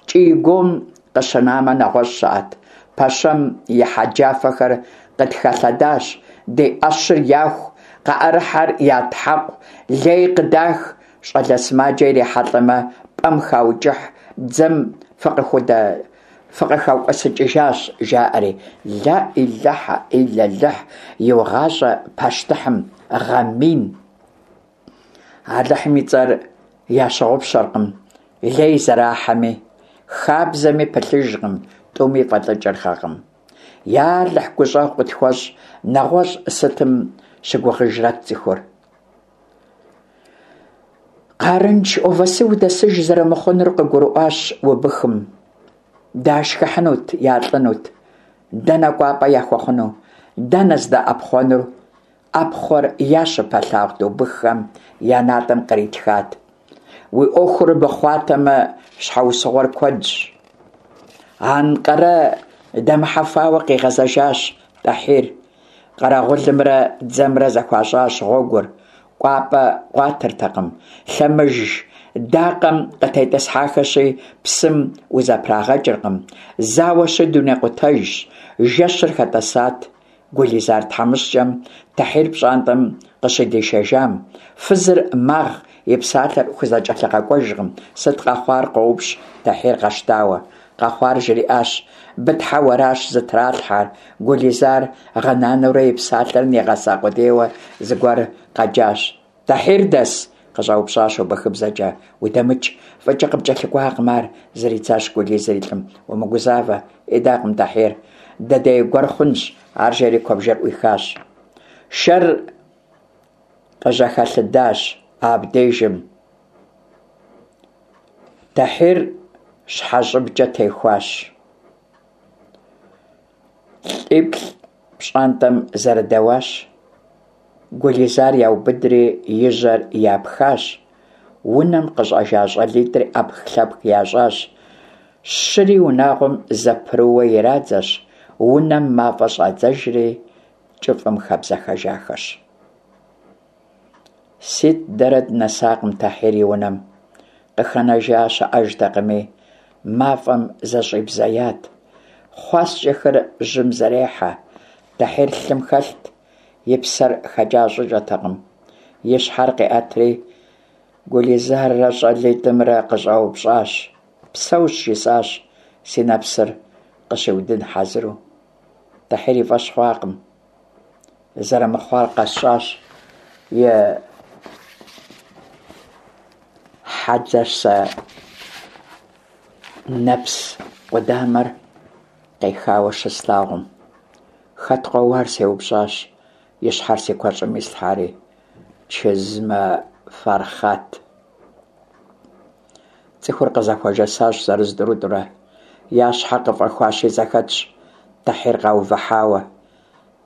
S1: Кӏий-гуом къыщынамэ нэгъуэщӏ щыӏэт. Пэщэм и хьэджафэхэр къытхэлъэдащ, ди ӏэщыр яху, къаӏэрыхьэр ятхьэкъу, лей къыдах, щӏалэ сымаджэ ирихьэлӏэмэ, пӏэм хаукӏыхь, дзэм фыкъыхудэ фыкъыхэкӏуэсыкӏыжащ, жаӏэри. Лаӏилэхьэ ӏиллэлыхь, иугъащӏэ пащтыхьым, гъэ мин. Алыхьым и цӏэр ящыгъупщэркъым, лей зэрахьэми, хабзэми пылъыжкъым, тӏуми фӏэлӏыкӏырхэкъым. Я Алыхь гущӏэгъу къытхуэщӏ, нэгъуэщӏ сытым щыгугъыжрэт цӏыхур? Къарындж Овасы удэсыж зэрымыхъунур къыгурыӏуащ убыхым. Дашхыхьынут, ялӏынут. Дэнэ кӏуапӏэ яхуэхъуну? Дэнэ здэӏэпхъуэнур? ӏэпхъуэр я щыпэлъагъут убыххэм я натӏэм къритхат. Уи ӏуэхур мыхъуатэмэ, щхьэусыгъуэр куэдщ. Анкъэрэ дэмыхьэфауэ къигъэзэжащ Тӏэхьир. Къэрэгъулымрэ дзэмрэ зэхуащӏащ гъуэгур, кӏуапӏэ къуатыртэкъым. Лъэмыж дакъэм къытетӏысхьахэщи, псым узэпрагъэкӏыркъым. Зауэщи, дунейкъутэжщ. Жэщыр хэтӏэсат. Гулизар тхьэмыщкӏэм Тӏэхьир пщӏантӏэм къыщыдишэжам, фызыр магъ, и псалъэр хузэкӏэлъыгъэкӏуэжкъым. Сыт къэхъуар? къоупщӏ Тӏэхьир къэщтауэ. Къэхъуар жриӏащ, Бытхьэ уэращ зытралъхьэр. Гулизар гъынанэурэ и псалъэр нигъэса къудейуэ зыгуэр къэджащ. Тӏэхьир дэс? къыщӏэупщӏащ убыхыбзэкӏэ. Удэмыкӏ, фӏыкӏэ къыпкӏэлъыкӏуакъым ар, зридзащ Гулизыр и лӏым. Умыгузавэ, идакъым Тӏэхьир. Дэдей гуэр хъунщ, ар жери куэбжэр ӏуихащ. Шэр къыжьэхэлъэдащ абдежым. Тӏэхьир щхьэщӏыбкӏэ техуащ. ЛӀиплӀ пщӀантӀэм зэрыдэуащ. Гулизар яубыдри и жьэр япхащ. Унэм къыщӀэжа щӀалитӀри ӏэпх-лъэпх ящӀащ. Щыри унагъуэм зэпрыууэ ирадзэщ, унэм мафӀэ щӀадзэжри, кӀыфӀым хэбзэхэжахэщ. Сит дэрэ дынэсакъым Тӏэхьир и унэм. Къыхэнэжа щыӏэжтэкъыми, мафӏэм зэщӏибзеят. Хъуаскӏэхэр жьым зэрехьэ. Тӏэхьир лъым хэлът, и псэр хэкӏа щӏыкӏэтэкъым. И щхьэр къиӏэтри, Гулизаррэ щӏалитӏымрэ къыщӏэупщӏащ. Псэущ, жысӏащ, си нэпсыр къыщиудын хьэзыру. Тӏэхьир и фӏэщ хъуакъым. Зэрымыхъуар къэсщӏащ и хьэдзэщэ нэпс къудамэр къехауэ щыслъагъум. Хэт къоуар сеупщӏащ, и щхьэр си куэщӏым ислъхьари. Чызмэ Фархъат. Цӏыхур къызэхуэжэсащ зырыз-тӏурытӏурэ. Я щхьэ къыфӏэхуащи зэхэтщ, Тӏэхьир къаувыхьауэ.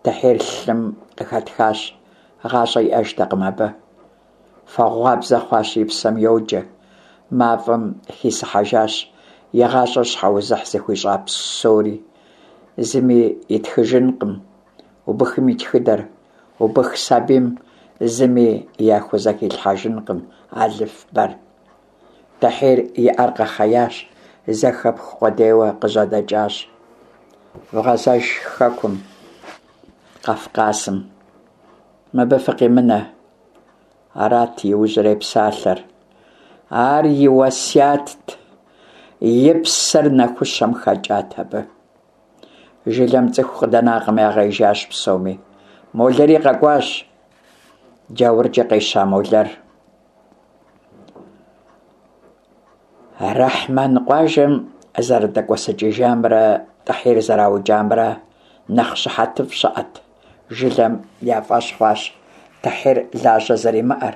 S1: Тӏэхьир лъым къыхэтхащ, гъащӏэ иӏэжтэкъым абы. Фэгъуабзэ хъуащ, и псэм йоджэ. Мафӏэм хисыхьэжащ и гъащӏэр щхьэузыхь зыхуищӏа псори. Зыми итхыжынкъым убыхым и тхыдэр, убых сабийм зыми яхузэхилъхьэжынкъым алыфбэр. Тӏэхьир и ӏэр къэхъеящ, зэхэпх къудейуэ къыжьэдэкӏащ. Вгъэзэж хэкум, Къафкъасым. Мыбы фыкъимынэ. Арат иужьрей псалъэр. Ар и уэсятт, и псэр нэхущэм хэкӏат абы. Жылэм цӏыху къыдэнакъым, ягъеижащ псоми. Молэри къэкӏуащ, джауркӏэ къеща молэр. Рэхьмэн къуажэм зэрыдэкӏуэсыкӏыжамрэ Тӏэхьир зэраукӏамрэ нэхъ щыхьэтыфӏ щыӏэт. Жылэм я фӏэщ хъуащ Тӏэхьир лажьэ зэримыӏэр.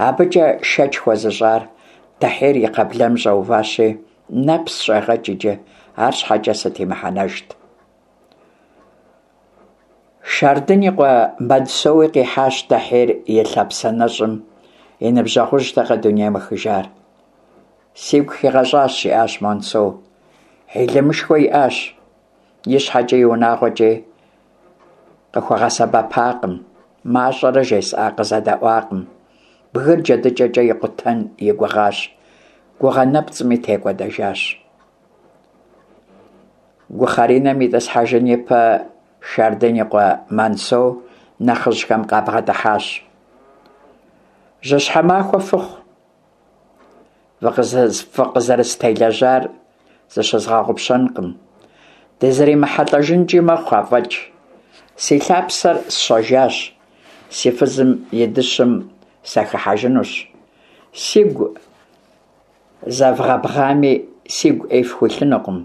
S1: Абыкӏэ шэч хуэзыщӏар Тӏэхьир и кхъаблэм щӏэуващи, нэпс щӏегъэкӏ иджы, арщхьэкӏэ сыт и мыхьэнэжт. Шардын и къуэ Мансоуи къихьащ Тӏэхьир и лъапсэ нэщӏым, и ныбжьэгъужьтэкъэ дунейм ехыжар. Сигу хигъэщӏащ, жиӏащ Мансоу. Хьилымышхуэ иӏащ, и щхьэкӏи и унагъуэкӏи къыхуэгъэсэбэпакъым, мащӏэрэ жесӏа къызэдэӏуакъым. Бгыр джэдыкӏэкӏэ икъутэн и гугъащ, гугъэ нэпцӏми текӏуэдэжащ. Гухъэринэм итӏысхьэжын ипэ Шардын и къуэ Мансоу нэхъыжьхэм къабгъэдыхьащ. Жьыщхьэ махуэ фыхъу! Фыкъызэрыстелэжьар зыщызгъэгъупщэнкъым. Дызэримыхьэлӏэжынкӏи мэхъу афӏэкӏ. Си лъапсэр сщэжащ, си фызым и дыщым сахыхьэжынущ. Сигу Зэвгъэбгъами, сигу ӏей фхуилъынукъым.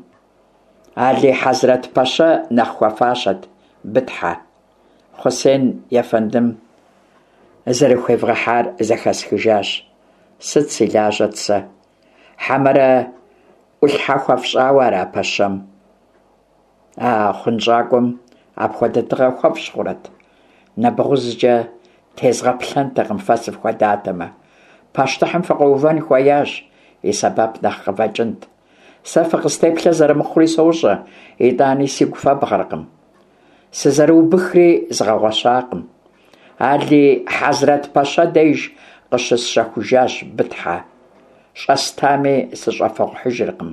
S1: Алий Хьэзрэт пэщэ нэхъ хуэфащэт Бытхьэ. Хъусен ефэндым зэрыхуевгъэхьар зэхэсхыжащ. Сыт си лажьэт сэ? Хьэмэрэ ӏулъхьэ хуэфщӏауэ ара пэщэм? А хъунщӏакӏуэм апхуэдэ тыгъэ хуэфщӏ хъурэт? Нэбгъузкӏэ тезгъэплъэнтэкъым фэ сыфхуэдатэмэ. Пащтыхьым фыкъуэувэн хуеящ, и сэбэп нэхъ къывэкӏынт. Сэ фыкъыстеплъэ зэрымыхъури сощӏэ, итӏани сигу фэбгъэркъым. Сызэрыубыхри згъэгъуэщакъым. Алий Хьэзрэт пэщэ деж къыщысщэхужащ Бытхьэ. Щӏэстами сыщӏэфыгъухьыжыркъым.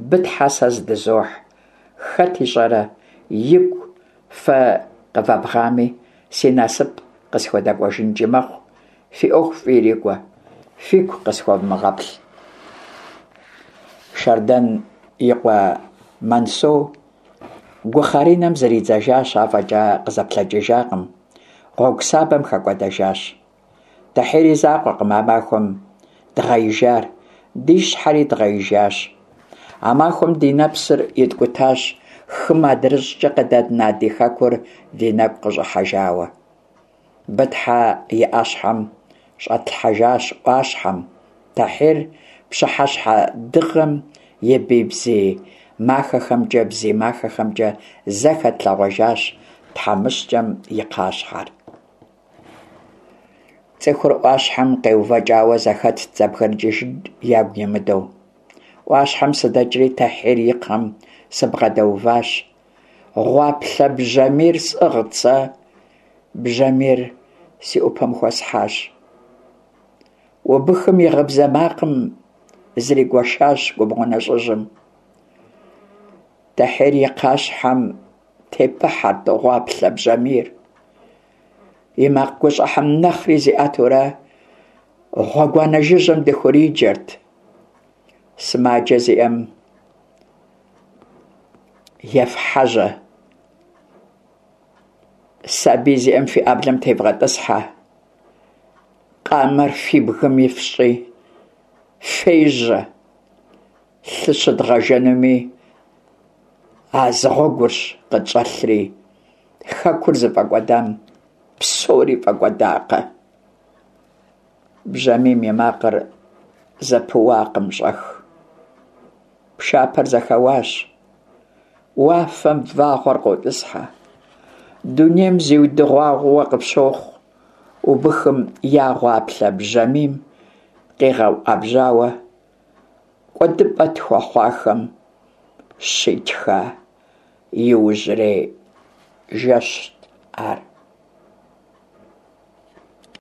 S1: Бытхьэ сэ здызохь. Хэт ищӏэрэ, игу фэ къывэбгъами, си насып къысхудэкӏуэжынкӏи мэхъу. Фи ӏуэху фӏы ирикӏуэ. Фигу къысхуэвмыгъэплъ. Шардэн и къуэ Мансоу гухъэринэм зридзэжащ, афӏэкӏа къызэплъэкӏыжакъым, гъуэгу сабэм хэкӏуэдэжащ. Тӏэхьир и закъуэкъым а махуэм дгъеижар, ди щхьэри дгъеижащ. А махуэм ди нэпсыр иткӏутащ, хым адрыщӏкӏэ къыдэдна ди хэкур ди нэгу къыщӏыхьэжауэ. Бытхьэ и ӏэщхьэм щӏэтлъхьэжащ ӏуащхьэм, Тӏэхьир пщыхьэщхьэ дыгъэм и бий бзий махэхэмкӏэ бзий махэхэмкӏэ зэ хэтлъэгъуэжащ тхьэмыщкӏэм и кхъащхьэр. Цӏыхур ӏуащхьэм къеувэкӏауэ зэхэтт зэбгрыкӏыжын ягу имыдэу. Ӏуащхьэм сыдэкӏри Тӏэхьир и кхъэм сыбгъэдэуващ. Гъуаплъэ бжьамийр сӏыгът сэ, бжьамийр си ӏупэм хуэсхьащ. Убыхым и гъыбзэ макъым зригуэшащ губгъуэ нэщӏыжьым. Тӏэхьир и кхъащхьэм тепыхьэрт гъуаплъэ бжьамийр. И макъ гущӏыхьэм нэхъри зиӏэтурэ гъуэгуанэ жыжьэм дыхуриджэрт. Сымаджэ зиӏэм ефхьэжьэ, сабий зиӏэм фи ӏэблэм тевгъэтӏысхьэ, къамэр фи бгым ифщӏи, фежьэ, лъы щыдгъэжэнуми а зы гъуэгурщ къытщӏэлъри, хэкур зыфӏэкӏуэдам псори фӏэкӏуэдакъэ. Бжьамийм и макъыр зэпыуакъым щӏэх. Пшапэр зэхэуащ. Уафэм вагъуэр къотӏысхьэ. Дунейм зиудыгъуауэ къыпщохъу. Убыхым я гъуаплъэ бжьамийм къигъэуӏэбжьауэ. кӀуэдыпӀэ тхуэхъуахэм щитха иужьрей жэщт ар.